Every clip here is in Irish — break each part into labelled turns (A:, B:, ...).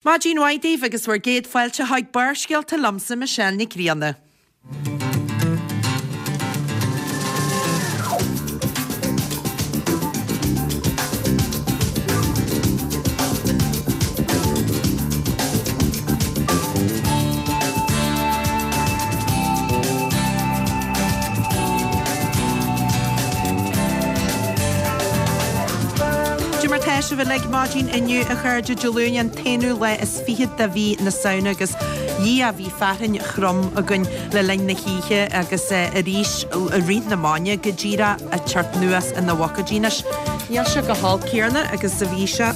A: Maidin mhaith daoibh agus bhur gcéad fáilte chuig Barrscéalta liomsa Michelle Nic Grianna. Cad é mar tá sibh uilig maidin inniu a chairde Dé Luain an t-aonú lá is fichead de mhí na Samhna agus dhia bhí fearthainn throm againn le linn na hoíche agus arís i rith na maidine go díreach ag teacht anuas ina bhuiceidí anois. Níl sé chomh holc céanna agus a bhí sé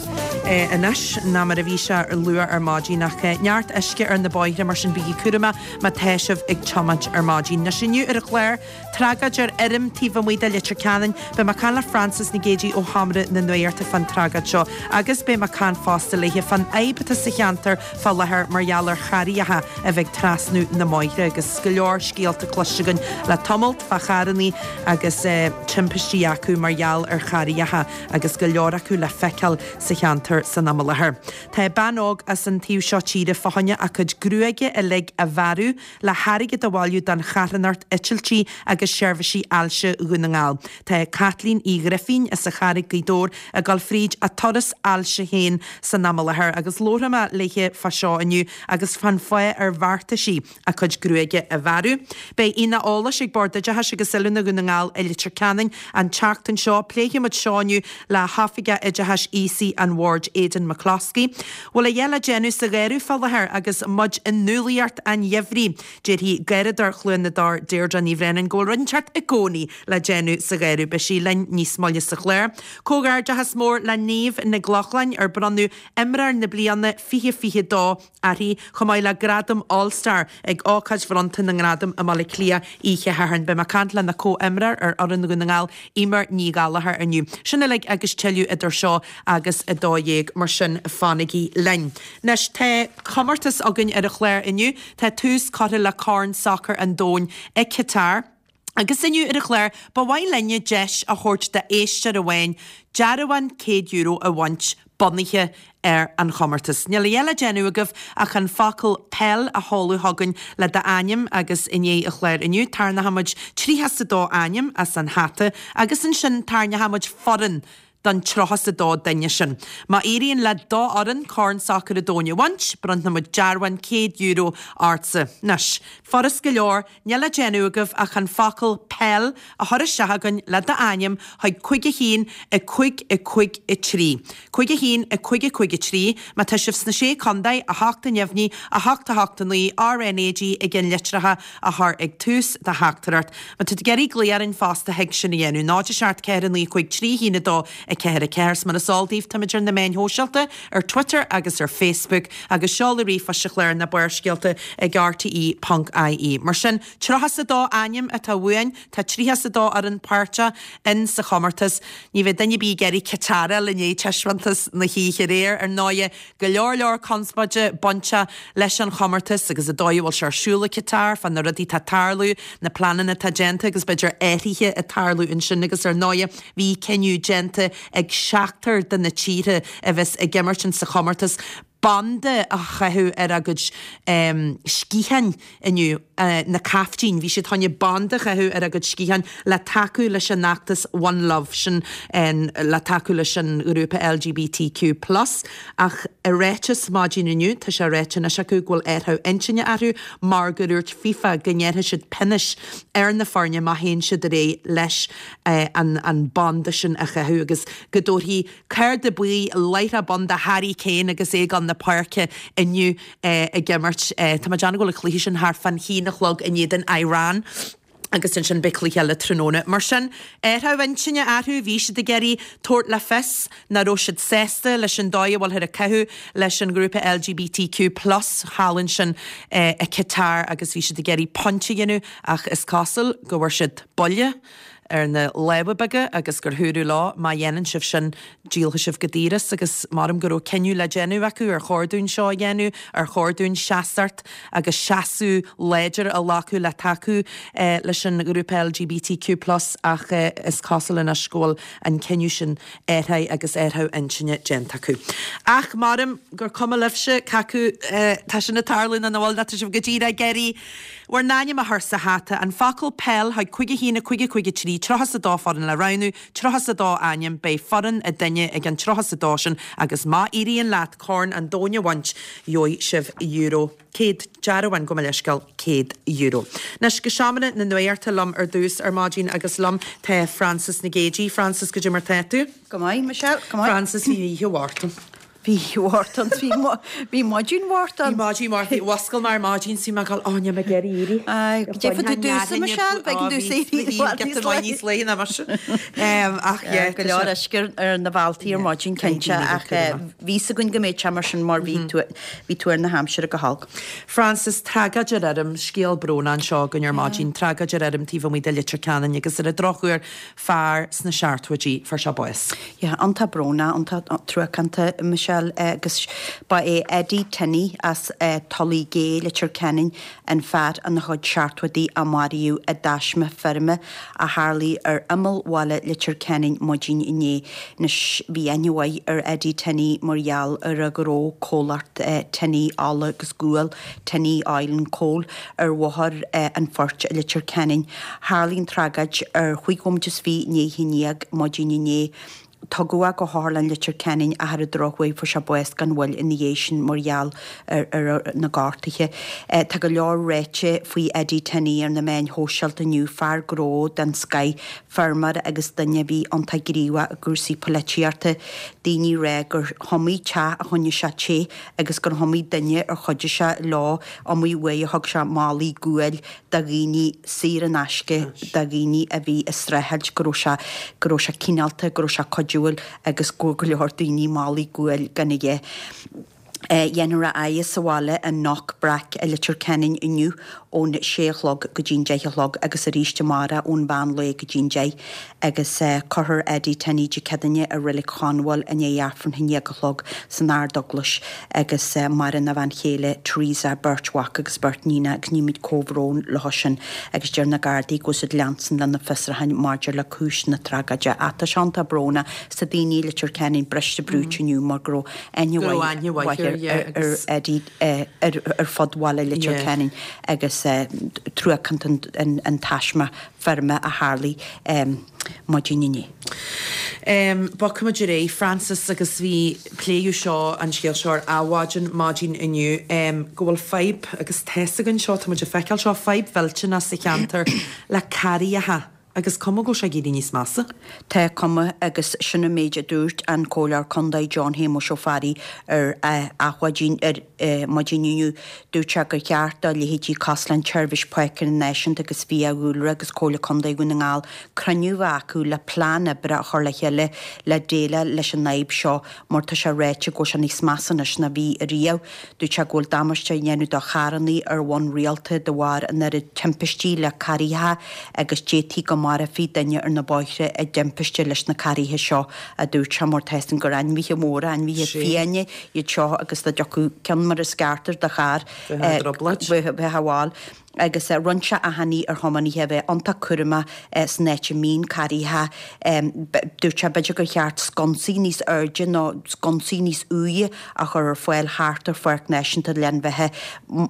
A: anois ná mar a bhí sé luath ar maidin ach neart uisce ar na bóithre mar sin bígí cúramach má tá sibh ag tiomáint ar maidin. Anois inniu ar an chlár, tragóid ar fheirm taobh amuigh de Leitir Ceanainn. Beidh mé ag caint le Frances Nic Géadaigh ó Sheomra na Nuachta fán tragóid seo agus beidh mé ag caint fosta léithe fán fhadhb atá sa cheantar fá láthair mar gheall ar charraíocha a bheith ag trasnú na mbóithre agus go leor scéalta cloiste againn le tamalt fá charrannaí agus timpistí acu mar gheall ar charraíocha agus go leor acu le feiceáil sa cheantar san am i láthair. Tá bean óg as an taobh seo tíre fá choinne a cuid gruaige uilig a bhearradh le hairgead a bhailiú don charthanacht Eitiltí agus Seirbhísí Ailse Dhún na nGall. Tá Caitlín Uí Ghrifín as an Charraig, Gaoth Dobhair ag dul fríd a turas ailse féin san am i láthair agus labharfaidh mé léithe fá seo inniu agus fán fáth ar bheartaigh sí a cuid gruaige a bhearradh. Beidh Aonach Eolais ag Bord Oideachais agus Oiliúna Dhún na nGall i Leitir Ceanainn an tseachtain seo. Pléifidh muid seo inniu le hOifigeach Oideachais Aosaigh an Bhoird, Aidan McCloskey. Bhfuil a dhath le déanamh sa gharradh fá láthair agus muid i ndúlaíocht an gheimhridh. Déarfaidh Garradóir Chluain na dTor, Deirdre Ní Bhraonáin, go bhfuil rud inteacht i gcónaí le déanamh sa gharradh. Beidh sí linn níos moille sa chlár. Comhghairdeachas mór le Niamh Nic Lochlainn ar bronnadh Imreoir na Bliana 2022 uirthi, chomh maith le gradam All Star ag ócáid bhronnta na ngradam i mBaile Átha Cliath oíche Shathairn. Beidh mé ag caint lena comhimreoir ar fhoireann Dhún na nGall, Eimear Ní Ghallchóir inniu. Sin uilig agus tuilleadh idir seo agus 12, mar sin fanaigí linn. Anois, tá comórtas againn ar an chlár inniu. Tá tús curtha le Corn Sacair an Domhain i Qatar. Agus inniu ar an chlár, ba mhaith linne deis a thabhairt d'éisteoir amháin dearbhán €100 a bhaint bunaithe ar an chomórtas. Níl a dhath le déanamh agaibh ach an focal 'peil' a sheoladh chugainn le d'ainm agus i ndiaidh an chláir inniu, tarraingeoidh muid 32 ainm as an hata agus ansin tarraingeoidh muid foireann don 32 duine sin. Má éiríonn le d'fhoireann Corn Sacair an Domhain a bhaint, bronnfaidh muid dearbhán €100 ortsa. Anois, furast go leor, Níl le déanamh agaibh ach an focal 'peil' a chur isteach chugainn le d'ainm chuig 5 1 5 5 3. 5 1 5 5 3 Má tá sibh sna Sé Contae, 8 a neamhní, 8 8 9, RnaG i gceannlitreacha a chur ag tús do theachtaireacht. Má tá tú ag iarraidh glaoch orainn fosta thig sin a dhéanamh. 0 7 4 9 5 3 1 2 4 4 Is mar is eol daoibh táimid ar na meáin shóisialta, ar Twitter agus ar Facebook agus seoladh ríomhphoist an chláir ná Barrscéalta ag rte ponc ie. Mar sin, 32 ainm atá uainn, tá 32 fhoireann páirteach in sa chomórtas. Ní bheidh duine ar bith ag iarraidh Qatar a fháil i ndiaidh taispeántas na hoíche aréir. Ar ndóighe, go leor leor conspóide bainteach leis an chomórtas agus an dóigh a bhfuil sé ar siúl i Qatar, fá na rudaí atá ag tarlú, na pleananna atá déanta agus b'fhéidir athruithe ag tarlú ansin agus ar ndóighe, Bhí cinneadh déanta ag seachtar de na tíortha a bheas ag imirt in sa chomórtas banda a chaitheamh ar a gcuid sciatháin inniu, na caiftín. Bhí siad chun banda a chaitheamh ar a gcuid sciatháin le tacú leis an fheachtas One Love, sin le tacú leis an ghrúpa LGBTQ plus. Ach i ráiteas maidin inniu, tá sé ráite anois acu go bhfuil athrú intinne orthu mar gur dhúirt FIFA go ngearrfaidh siad pionóis ar na foirne má théann siad ar aghaidh leis an banda sin a chaitheamh agus go dtabharfaí cárta buí láithreach bonn do Harry Kane agus é ag dul na páirce inniu ag imirt. Tá mé ag déanamh go bhfuil an cluiche sin thart fán haon a chlog in éadan Iran agus ansin beidh cluiche eile tráthnóna. Mar sin, athrú intinne orthu, bhí siad ag iarraidh tabhairt le fios nach raibh siad sásta leis an dóigh a bhfuilthear ag caitheamh leis an ghrúpa LGBTQ plus thall ansin i Qatar agus bhí siad ag iarraidh pointe a dhéanamh ach is cosúil go bhfuair siad buille. ar na lámha beaga agus gur dhúradh leo, má dhéanann sibh sin, díolfaidh sibh go daor as agus maram go raibh cinneadh le déanamh acu ar chóir dúinn seo a dhéanamh, ar chóir dúinn seasacht agus seasamh láidir a ghlacadh le tacú leis an ghrúpa LGBTQ plus ach is cosúil anois go bhfuil an cinneadh sin athraithe agus athrú intinne déanta acu. Ach maram gur cuma libhse cé acu tá sin ag tarlú nó nach bhfuil, nó tá sibh go díreach ag iarraidh bhur n-ainm a chur sa hata. An focal peil chuig 5 1 5 5 3 32 foireann le roghnú, 32 ainm, beidh foireann ag duine ag an 32 sin agus má éiríonn leat Corn an Domhain a bhaint, gheobhaidh sibh euro 100, dearbháin, gabh mo leithscéal, €100. Anois go seomra na nuachta liom ar dtús ar maidin agus liom tá Frances Nic Géadaigh. Frances, goidé mar tá tú?
B: Go maith, Michelle, go maith.
A: Frances, bhí oíche mhór ann.
B: Bhí oíche mhór ann, bhí bhí maidin mhór
A: ann. Bhí maidin mhór, bhí mhuscail mé ar maidin, 's bhí mé ag gabháil, ó, níl mé ag iarraidh éirí.
B: Aye, goidé fá dtaobh domhsa, Michelle, b'éigean domhsa éirí i bhfad níos
A: luaithe. níos luaithe ná mise. Ach yeah,
B: Go leor uisce ar na bhealtaí ar maidin, cinnte, ach bhí 's againn go mbeadh sé mar sin mar bhí tú bhí tuar na haimsire go holc.
A: Frances, Tragóid ar fheirm, scéal brónach anseo againn ar maidin, tragóid ar fheirm taobh amuigh de Leitir Ceanainn agus ar an drochuair, fear sna seachtóidí, fuair sé bás.
B: Yeah, iontach brónach, iontach truacánta, Michelle, agus ba é Eddie Tinney as Tulaigh Gé, Leitir Ceanainn, an fear ina chuid seachtóidí a maraíodh i dtaisme feirme a tharlaigh ar imeall bhaile Leitir Ceanainn maidin inné. Anois, bhí aithne mhaith ar Eddie Tinney mar gheall ar a ghnó, comhlacht Tinney Ola agus Gual, Tinney Oil and Coal, ar Bhóthar an Phoirt i Leitir Ceanainn. Tharlaigh an tragóid ar chúig bhomaite is fiche i ndiaidh a haon dhéag maidin inné. Tugadh é go hOtharlann Leitir Ceanainn ach ar an drochuair fuair sé bás gan mhoill ina dhiaidh sin mar gheall ar na gortuithe. Tá go leor ráite faoi Eddie Tinney ar na meáin shóisialta inniu, fear gnó den scoith, feirmeoir agus duine a bhí iontach gníomhach i gcúrsaí poilitíochta. Daoine ag rá gur iomaí teach a choinnigh sé te agus gur iomaí duine ar chuidigh sé leo, iomaí uair a thug sé málaí guail do dhaoine saor in aisce, do dhaoine a bhí ag streachailt, go raibh sé, go raibh sé cineálta, go raibh sé cuidiúil agus go bhfuair go leor daoine málaí guail gan aige. Dhéanfar a fhaire sa bhaile i Knockbrack i Leitir Ceanainn inniu ón sé a chlog go dtí'n deich a chlog agus arís amárach ón mheán lae go dtí'n deich agus cuirfear Eddie Tinney Dé Céadaoine i Reilig Chonbháil i ndiaidh Aifreann a haon déag a chlog san Ardeaglais agus maireann a bhean chéile Teresa, beirt mhac agus beirt níon agus nímid comhbhrón leo sin agus deir na Gardaí go bhfuil siad leanstan lena bhfiosrúcháin maidir le cúis na tragóide. Ach tá sé iontach brónach 's tá daoine i Leitir Ceanainn briste brúite inniu mar go raibh aithne mhaith ar Eddie ar fud bhaile Leitir Ceanainn agus truacánta an taisme feirme a tharlaigh maidin inné.
A: Bogfaimid ar aghaidh, Frances, agus bhí, pléadh seo, an scéal seo ar Adhmhaidin maidin inniu, go bhfuil fadhb, agus tá's againn seo, tá muid ag feiceáil seo, fadhb mhillteanach sa cheantar le carraigheacha agus cuma go bhfuil sé ag éirí níos measa.
B: Tá cuma, agus sin an méid a dúirt an Comhairleoir Contae John Shéamuis Ó Fearraigh ar Adhmhaidin ar maidin inniu. Dúirt sé gur cheart do leithéidí cosúil le an tSeirbhís Páirceanna Náisiúnta agus Fiadhúlra agus Comhairle Contae Dhún na nGall cruinniú a bheith acu le plean oibre a chur le chéile le déileáil leis an fhadhb seo mar tá sé ráite go bhfuil sé níos measa anois ná bhí riamh. Dúirt sé go bhfuil damáiste á dhéanamh do charrannaí ar bhonn rialta de bharr an oiread timpistí le carraigheacha agus d'fhéadfaí go marófaí duine ar na bóithre i dtimpiste leis na carraigheacha seo, a dúirt sé, mar tá 'fhios a'inn gur ainmhithe móra, ainmhithe fiáine iad seo agus dá dtiocfadh ceann mar is gearrtar do charr,
A: Bheifeá i dtrioblóid.
B: bheifeá bhal. Agus rinne sé achainí ar thiománaithe a bheith iontach cúramach san áit a mbíonn carraigheacha. Dúirt sé b'fhéidir gur cheart sconsaí níos airde nó sconsaí níos úire a chur ar fáil thart ar Pháirc Náisiúnta Ghleann Bheatha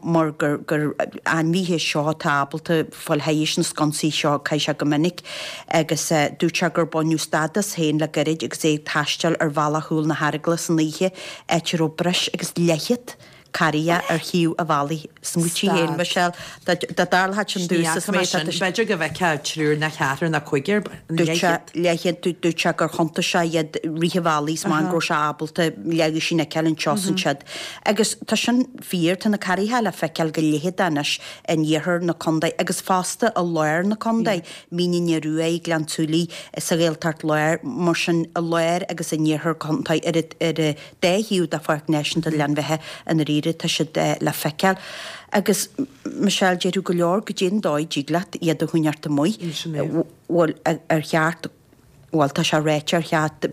B: mar gur gur ainmhithe seo atá ábalta fáil thairis na sconsaí seo caithfidh sé go minic. Agus dúirt sé gur baineadh stad as féin le gairid agus é ag taisteal ar bhealach Chúil na hEaragla san oíche, áit a raibh breis agus leathchéad carraigheacha ar thaobh an bhealaigh. Smaoitigh féin, Michelle, dá dtarlódh sin
A: domhsa is mé tá B'fhéidir go bhfeicfeá triúr nó ceathrar nó cúigear,
B: leathchéad. Leathchéad, dúirt sé gur chuntais sé iad rith an bhealaigh is maith go raibh sé ábalta leathdhosaen a fheiceáil anseo is ansiúd. Agus tá sin fíor, tá na carraigheacha le feiceáil go leitheadach anois in iarthar na contae agus fosta i lár na contae, Mín an Fhir Ruaidh, Gleann tSúilí, sa Ghaeltacht Láir, mar sin i lár agus in iarthar contae ar an dá thaobh de Pháirc Náisiúnta Ghleann Bheatha i ndáiríre. dáiríre tá siad le feiceáil. Agus, Michelle, déarfadh go leor goidé an dóigh dtig leat iad a choinneáilt amuigh, bhuel, ar cheart, bhuel, tá sé ráite ar cheart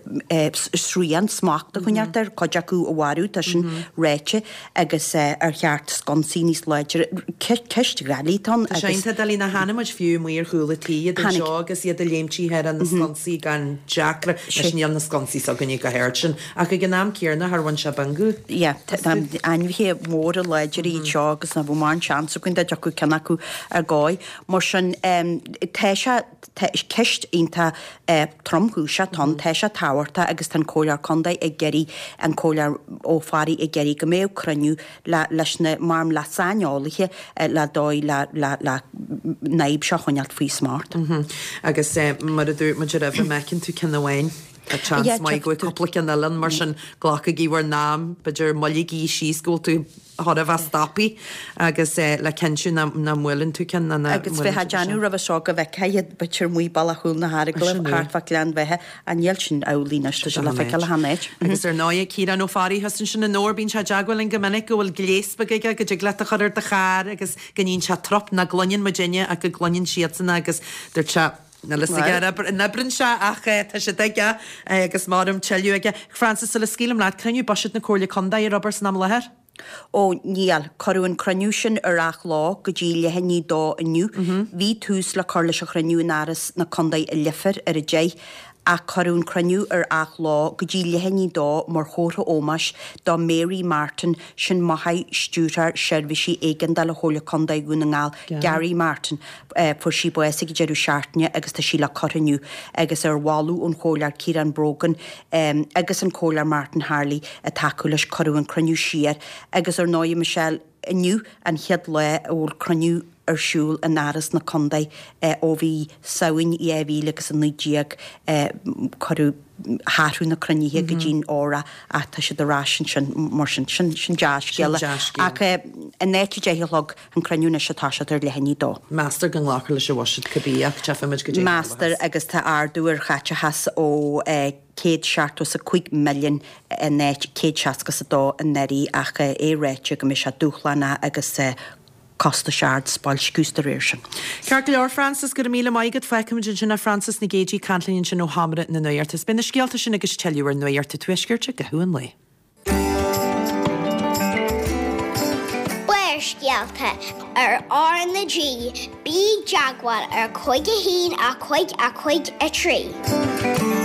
B: srian, smacht a choinneáilt air, cuid acu a mharú, tá sin ráite, agus ar cheart sconsaí níos láidre, ceist dhoiligh atá ann
A: Tá sé
B: agus.
A: iontach doiligh nach chonaic muid fiú amuigh ar chúl an tí iad
B: Tháinig.
A: anseo agus iad ag léimtí thar na sconsaí gan deacracht. Anois níl na sconsaí s'againne chomh hard sin ach ag an am céanna char bhain sé bingo.
B: Yeah, tá ainmhithe móra láidre iad seo agus nach bhfuil mórán seans againn dá dtiocfadh ceann acu ar dhóigh. Mar sin, tá sé, tá ceist iontach tromchúiseach atá ann, tá sé tábhachtach agus tá an Comhairleoir Contae ag iarraidh, an Comhairleoir Ó Fearraigh ag iarraidh go mbeadh cruinniú le, leis na, mar le saineolaithe le dóigh le, le, le an fhadhb seo a choinneáilt faoi smacht.
A: Agus mar a dúirt muid roimhe, má fheiceann tú ceann amháin, tá seans maith go bhfuil cúpla ceann eile ann, mar sin glacaigí bhur n-am, b'fhéidir moilligí síos go bhfuil tú chóir a bheith stoptha agus le cinntiú nach mbuaileann tú ceann ná nach
B: Agus bheifeá
A: mbuaileann
B: ag
A: tú
B: déanamh
A: sin.
B: roimhe seo go bhfeicfeá iad b'fhéidir amuigh bealach Chúl na hEaragla
A: Sin é.
B: thart fá Ghleann Bheatha ach níl sin amhlaidh anois, tá sé le feiceáil achan áit.
A: Agus ar ndóigh, Ciarán Ó Fearraigh thuas ansin i nDobhar, bíonn sé i dteagmháil linn go minic go bhfuil gléas beag aige go dtig leat a chur ar do charr agus go níonn sé trup, nach gcluineann muidinne ach go gcluineann siadsan é agus dúirt sé Níl fhios aige an oibreann sé ach tá sé aige agus maram tuilleadh aige. Frances, sula scaoilim leat, cruinniú buiséid na Comhairle Contae ar obair san am i láthair?
B: Ó, níl. Cuireadh an cruinniú sin ar athló go dtí leath i ndiaidh a dó inniu. Bhí tús le cur leis an chruinniú in Áras na Contae i Leifear ar a deich ach cuireadh an cruinniú ar athló go dtí leath i ndiaidh a dó mar chomhartha ómóis do Mary Martin, sin máthair Stiúrthóir Seirbhísí Éigeandála Chomhairle Contae Dhún na nGall, Gary Martin. Fuair sí bás ag an deireadh seachtaine agus tá sí le cur inniu agus ar mholadh ón Chomhairleoir Ciarán Brogan agus an Comhairleoir Martin Harley ag tacú leis cuireadh an cruinniú siar agus ar ndóigh Michelle inniu an chéad lá a bhfuil cruinniú ar siúl in Áras na Contae ó bhí Samhain 2019 cuireadh hathrú na cruinnithe go dtí'n Fhómhar ach tá siad ar ais ansin mar sin sin sin dea-scéala ach in áit a deich a chlog an cruinniú anois atá siad ar leath i ndiaidh a dó.
A: Meastar go nglacfar leis an bhuiséad cibé ach tchífimid goidé
B: Meastar agus tá ardú ar chaiteachas ó 175 milliún in áit 162 anuraidh ach é ráite go mbeidh sé dúshlánach agus costais ard 's boilsciú 's dá réir sin.
A: Ceart go leor, Frances, go raibh míle maith agat. Fágfaimid ansin é Frances Nic Géadaigh ag caint linn ansin ó Sheomra na Nuachta. Is beidh na scéalta sin agus tuilleadh ar Nuacht an Tuaiscirt i gcaitheamh an lae.
C: Barrscéalta ar R na G, bí i dteagmháil ar 5 1 5 5 3.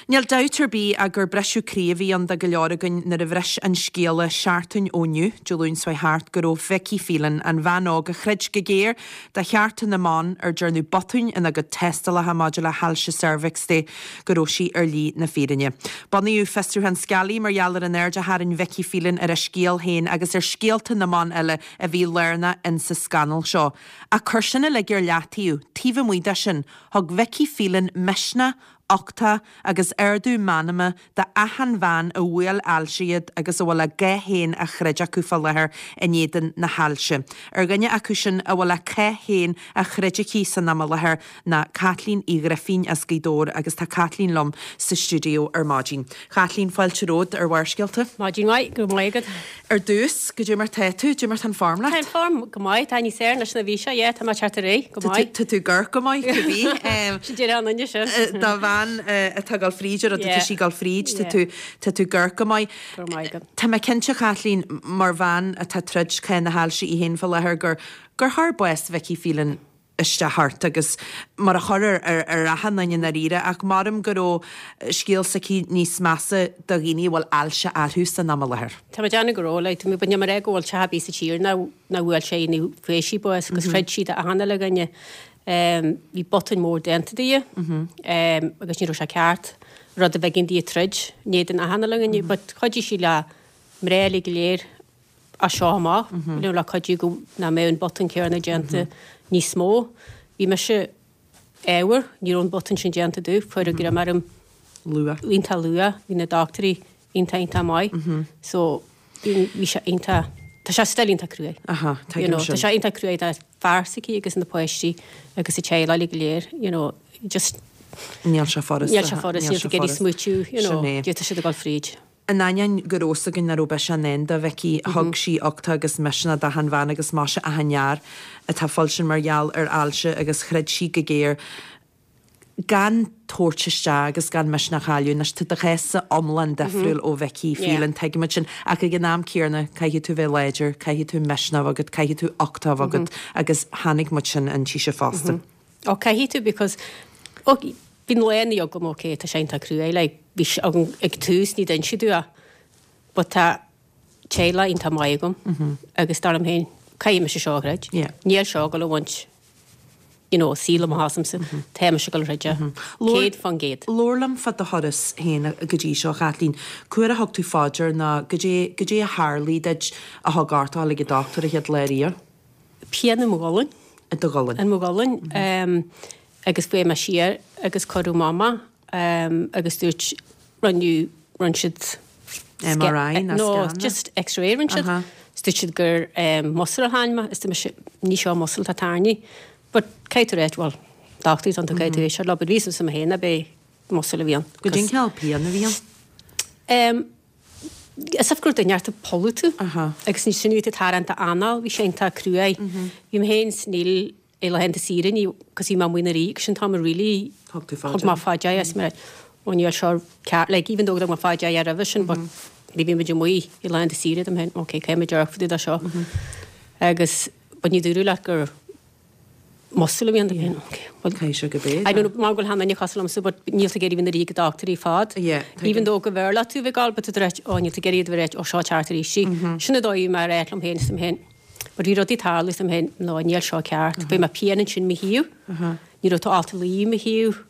A: Níl dabht ar bith ach gur briseadh croí a bhí ann do go leor againn nuair a bhris an scéala seachtain ó inniu, Dé Luain seo thart, go raibh Vicky Phelan, an bhean óg a throid go géar do chearta na mban ar dearnadh botúin ina gcuid tástálacha maidir le hailse ceirbheacs di, go raibh sí ar shlí na fírinne. Bunaíodh Fiosrúchán Scally mar gheall ar an aird a tharraing Vicky Phelan ar a scéal féin agus ar scéalta na mban eile a bhí lárnach insa scannal seo. Ach cuir sin uilig ar leataobh, taobh amuigh de sin, thug Vicky Phelan misneach, uchtach agus ardú meanma do achan bhean a bhuail ailse iad agus a bhfuil a gcath féin á throid acu fá láthair in éadan na hailse. Ar dhuine acu sin a bhfuil a cath féin á throid aici san am i láthair ná Caitlín Uí Ghrifín as Gaoth Dobhair agus tá Caitlín liom sa stiúideo ar maidin. Chaitlín, fáilte romhat ar Bharrscéalta.
D: Maidin mhaith, go raibh maith agat.
A: Ar dtús, goidé mar tá tú, goidé mar tá an form leat?
D: Tá an form go maith, tá níos fearr anois ná bhí sé, yeah, tá mé ag teacht ar aghaidh, go maith.
A: Tá tú ag amharc go maith, cibé.
D: Sin deireadh an duine sin.
A: Do bhean atá ag dul fríd, ar rud atá sí ag dul fríd, tá tú, tá tú ag amharc go maith.
D: Go raibh maith agat.
A: Tá mé cinnte, Chaitlín, mar bhean atá ag troid cath na hailse í féin fá láthair, gur, gur chuir bás Vicky Phelan isteach ort agus mar a chuir ar ar achan duine i ndáiríre ach maram go raibh scéal s'aici níos measa do dhaoine a bhfuil ailse orthu san am i láthair.
D: Tá mé ag déanamh go raibh, like, tá mé but níl mé ag rá go bhfuil teach ar bith sa tír nach nár bhuail sé í nó fuair sí bás agus throid sí d'achan uile dhuine. Bhí botún mór déanta di agus ní raibh sé ceart rud a b'éigean di a troid in éadan achan uile dhuine but chuidigh sí le mná eile go léir as seo amach, you know, le cuidiú go nach mbeadh an botún céanna déanta níos mó. Bhí mise ádhmhar, ní raibh an botún sin déanta domh, cuireadh greim orm
A: luath.
D: iontach luath, bhí na dochtúirí iontach iontach maith, so bhí sé iontach, tá sé still iontach cruaidh.
A: Aha,
D: You
A: tuigim
D: know,
A: sin.
D: tá sé iontach cruaidh do fear s'aici agus na páistí agus a teaghlach uilig go léir, you know, just
A: Níl sé furasta.
D: níl sé furasta,
A: níl
D: níl
A: sé
D: tú ag iarraidh
A: furasta.
D: smaoitiú, you know,
A: Sin é.
D: goidé tá siad ag dul fríd.
A: In ainneoin go raibh fhios againn nach raibh biseach i ndán do Mhicí, thug sí uchtach agus misneach d'achan bhean agus maise achan fhear atá ag fuilsint mar gheall ar ailse agus chreid sí go géar gan tabhairt isteach agus gan misneach a chailleadh. Anois tá do chás-sa iomlán difriúil ó Mhicí, Phelan, tuigimid sin, ach ag an am céanna caithfidh tú bheith láidir, caithfidh tú misneach a bheith agat, caithfidh tú uchtach a bheith agat agus chonaic muid sin inti fosta.
D: Ó caithfidh tú because ó bhí an lá ní agam ok tá sé iontach cruaidh like bhí sé agam ag tús ní d'inseodh tú é but tá teaghlach iontach maith agam agus dar liom féin caithfidh mise seo a throid. Níl seo ag dul a bhaint you know saol amach asamsa tá mise ag dul a throid é 100%.
A: Labhair liom fá do thuras féin go dtí seo, a Chaitlín. Cá huair a thug tú fá dear nó goidé goidé a tharlaigh duit a thug ort a dhul ag an dochtúir an chéad lá riamh?
D: Pian i mo ghualainn.
A: I do ghualainn.
D: I mo ghualainn. Agus chuaigh mé siar agus cuireadh amach mé agus dúirt, rinneadh, rinne siad.
A: MRI
D: nó scan? No, just X-ray rinne siad. Is dúirt siad gur muscle a tháinig mé, is dúirt mise, ní seo muscle atá tarraingthe. But caithfidh tú ráit, bhuel, dochtúir atá ann, caithfidh tú éisteacht leo, but bhí fhios agam féin ab é muscle a bhí ann.
A: Goidé an cineál pian a bhí
D: ann? As if go raibh duine inteacht ag pulladh tú agus ansin bhí tú ag tarraingt d'anáil, bhí sé iontach cruaidh. Bhí mé féin 's Neil i laethanta saoire ní cos bhí mé amuigh na rí agus sin an t-am a really
A: Thug tú fá
D: thug mé fá dear is mé ó níl seo ceart like even though go dtug mé fá dear roimhe sin but ní bhí muid amuigh i laethanta saoire dom féin ok caithfidh muid amharc fá dtaobh de seo agus but ní dúradh leat gur muscle a bhí ann dom féin ok
A: well Caithfidh sé go bé
D: I don't know mar go bhfuil duine cosúil liomsa but níl tú ag iarraidh bheith ina rí ag dochtúirí fad
A: Yeah,
D: even though go mb'fhearr leat tú bheith ag gabháil but tú ag ráit oh níl tú ag iarraidh a bheith ag ráit oh seo teacht arís sí sin an dóigh a bhí mé ag ráit liom féin is dom féin but bhí rudaí ag tarlú is dom féin no níl seo ceart bhí mé pian ansin mo thaobh ní raibh tú ábalta luí mo thaobh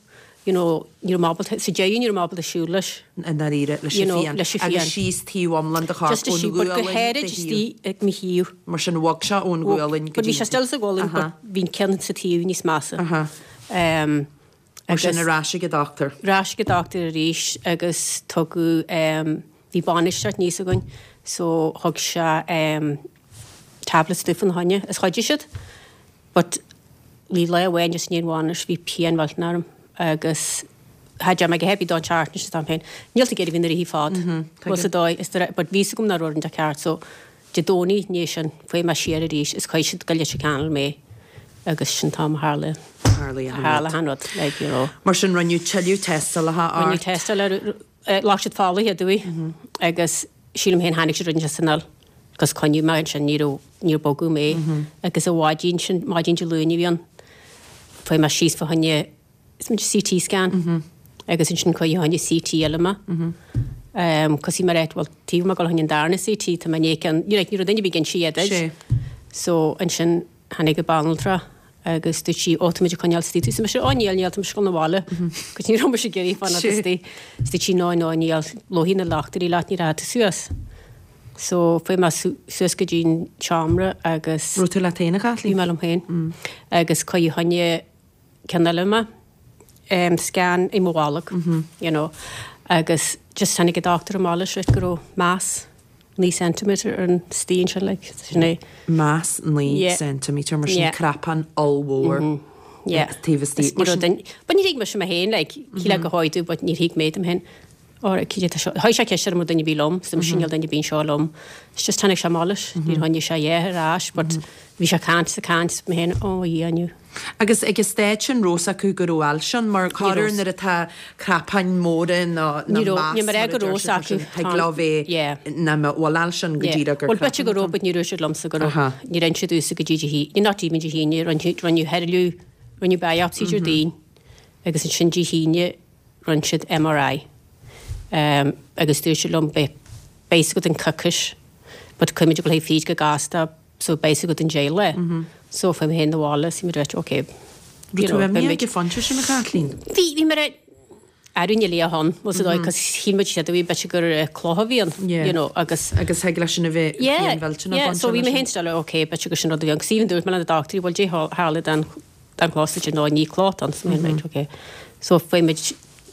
D: you know, ní raibh mé ábalta, sa deireadh ní raibh mé ábalta siúl leis.
A: I ndáiríre, leis
D: an
A: phian.
D: leis an phian.
A: Agus síos taobh iomlán do chorp,
D: Just ón
A: gualainn
D: but go háirid istigh ag mo thaobh.
A: Mar sin, bhog sé ón ghualainn
D: go dtí. But bhí sé still sa ghualainn, but bhí an ceann sa taobh níos measa.
A: Um, Mar sin, ar ais ag an dochtúir.
D: Ar ais ag an dochtúir arís agus tugadh, um, bhí bainisteoir níos againn, so thug sé um, tablets domh fána choinne, is chuidigh siad. But bhí lá amháin just i ndiaidh an bhainis bhí pian mhillteanach orm agus cha dtearn mé go happy don tseachtain sin dom féin. Níl tú ag iarraidh bheith ina rith fad. Bhfuil sa dóigh is but bhí fhios agam nach raibh rud inteacht ceart so Dé Domhnaigh i ndiaidh sin chuaigh mé siar arís is chuir siad go Leitir Ceanainn mé agus sin an t-am a tharla
A: tharla
D: an rud like you know.
A: Mar sin rinneadh tuilleadh tástálacha
D: ort. Rinneadh tástáil ar ghlac siad folach uaidh agus sílim féin tháinig siad rud inteacht san fhuil. Agus coinníodh mé ansin, ní raibh, níor bogadh mé. Agus an mhaidin sin, maidin Dé Luain a bhí ann, fuair mé síos fá choinne, is muid CT scan, agus ansin cuireadh fá choinne CT eile mé. Cos bhí mé ag ráit, bhuel, tuige mé ag dul fá choinne an darna CT, tá mé i ndiaidh ceann, ní raibh, ní raibh duine ar bith ag inse a dhath duit. So ansin tháinig an banaltra agus dúirt sí, ó, tá muid ag coinneáil istigh tú. So mise, ó níl, níl, tá mise ag dul 'na bhaile. Cos ní raibh mise ag iarraidh fanacht istigh. Is dúirt sí, no, no, níl, labharfaidh na dochtúirí leat, ní rachaidh tú suas. So fuair mé suas go dtí an seomra agus.
A: Raibh tú leat féin, a
D: Chaitlín? Bhí mé liom féin. Agus cuireadh fá choinne ceann eile mé, scan i mo bholg, you know. Agus just tháinig an dochtúir amach leis go raibh mass 9 centimetre ar an istigh ansin, like, sin é.
A: Mass 9 centimetre, mar sin cnapán ollmhór taobh istigh.
D: Ní raibh duine, but níor thuig mise mé féin, like, shílfeá gur thuig tú, but níor thuig mé dom féin. Alright, cad é tá seo? Chuir sé ceist orm an raibh duine ar bith liom, so mise níl duine ar bith anseo liom. It's just tháinig sé amach leis, níor choinnigh sé a dhath ar ais, but bhí sé ag caint is ag caint, mé féin, oh a Dhia inniu.
A: Agus ag an staid sin raibh fhios acu go raibh ailse ann, mar corruair nuair atá cnapáin móra nó
D: nó mass mar a deir siad mar sin,
A: thig leo bheith nach bhfuil ailse ann go díreach gur
D: Bhuel b'fhéidir go raibh but ní raibh siad liomsa go raibh, níor inis siad domhsa go dtí Dé hAoine, not even Dé hAoine, rinneadh thuirliú, rinneadh biopsy Déardaoin agus ansin Dé hAoine, Rinne siad MRI agus dúirt siad liom beidh fhios agat in coicís but caithfidh muid a dhul fríd go gasta so beidh fhios agat in deich lá. So fuair mé féin 'na bhaile is bhí mé ag ráit ok
A: Raibh tú imníoch ag an phointe sin a Chaitlín?
D: Bhí, bhí mé arú ní léadh ann was it cos shíl muid siad a bhí b'fhéidir gur cloch a bhí ann you know agus
A: Agus thig leis sin a bheith
D: Yeah, yeah, so bhí mé féin still ok b'fhéidir gur sin rud a bhí ann cos even dúirt mé le na dochtúirí bhuel dé tharla den Den chlós duit nó ní cló don so right ok. So fuair muid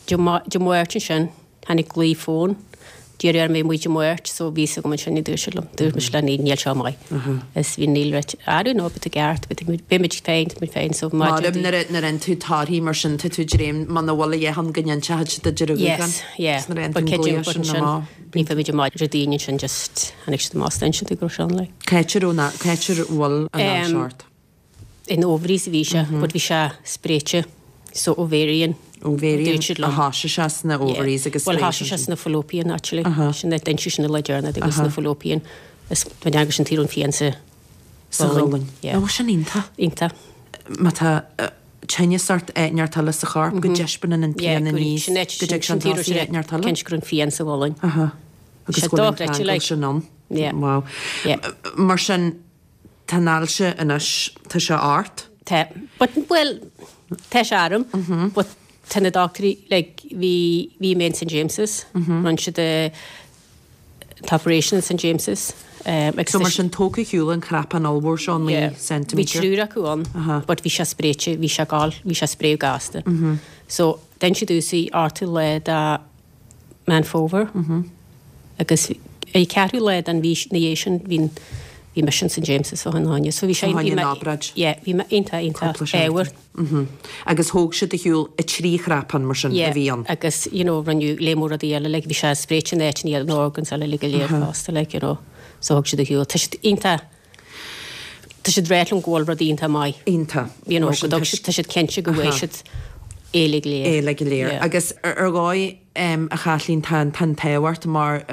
D: Dé Máirt ansin tháinig glao fón. D'iarr orm é amuigh Dé Máirt so bhí fhios agam ansin dúirt siad liom, dúirt mise le Neil níl seo maith. Is bhí Neil ag ráit, arú no beidh tú ceart, beidh muid fine, beidh muid fine so
A: maidin. Mar nuair a fhaigheann tú torthaí mar sin tá tú dréim muna bhfuil a dhath ann go n-inseoidh siad duit ar an ghuthán.
D: Yes, yeah.
A: Nuair a fhaigheann tú an glaoch sin amach.
D: Ní bheidh muid amach Déardaoin ansin just tháinig siad amach is d'inis siad go raibh sé ann like.
A: Cá háit a raibh na, cá háit a bhfuil an ailse ort?
D: In ovaries a bhí sé but bhí sé spréite so ovarian.
A: Ovarian a thoisigh sé sna ovaries agus
D: Bhuel thoisigh sé sna fallopian actually. Sin é d'inis sin an lá deireanach agus sna fallopian is ba neaga sin taobh an phian sa
A: Sa ghualainn. Yeah. Ó sin iontach.
D: Iontach.
A: Má tá tinneas ort áit inteacht eile sa chorp go dtaispeánann an pian aníos go dtig sé tosaí áit inteacht eile.
D: Cinnte go raibh an phian sa ghualainn.
A: Agus go bhfuil an ceangal sin ann.
D: Yeah.
A: Wow.
D: Yeah.
A: Mar sin Tá an ailse anois, tá sé ort.
D: Tá. But, bhuel, tá sé orm, but tá na dochtúirí, like, bhí, bhí mé in St James's, rinne siad an t-operation in St James's,
A: agus So mar sin, tógtha ar shiúl an cnapán ollmhór seo, 9
D: Yeah.
A: centimetre.
D: Bhí triúr acu ann, but bhí sé spréite, bhí sé ag gabháil, bhí sé ag spréadh gasta. So, dhein siad domhsa an 8ú lá de Meán Fómhair agus an ceathrú lá den mhí ina dhiaidh sin bhí bhí mise in St James's fá choinne. So bhí sé
A: Fá choinne an obráid.
D: Yeah, bhí mé iontach iontach
A: Cúpla seachtain.
D: ádhmhar.
A: Agus thóg siad ar shiúl an trí chnapán mar sin a
D: Yeah,
A: bhí ann.
D: agus you know rinneadh léimeadh rudaí eile like bhí sé spréite in áiteanna eile, na organs eile uilig go léir fosta like you know. So thóg siad ar shiúl. Tá siad iontach Tá siad ag ráit liom go bhfuil rudaí iontach maith.
A: Iontach.
D: You know, go dtug siad, tá siad cinnte go bhfuair siad é uilig go léir.
A: É uilig go léir. Agus ar dhóigh, a Chaitlín, tá an t-ádh ort mar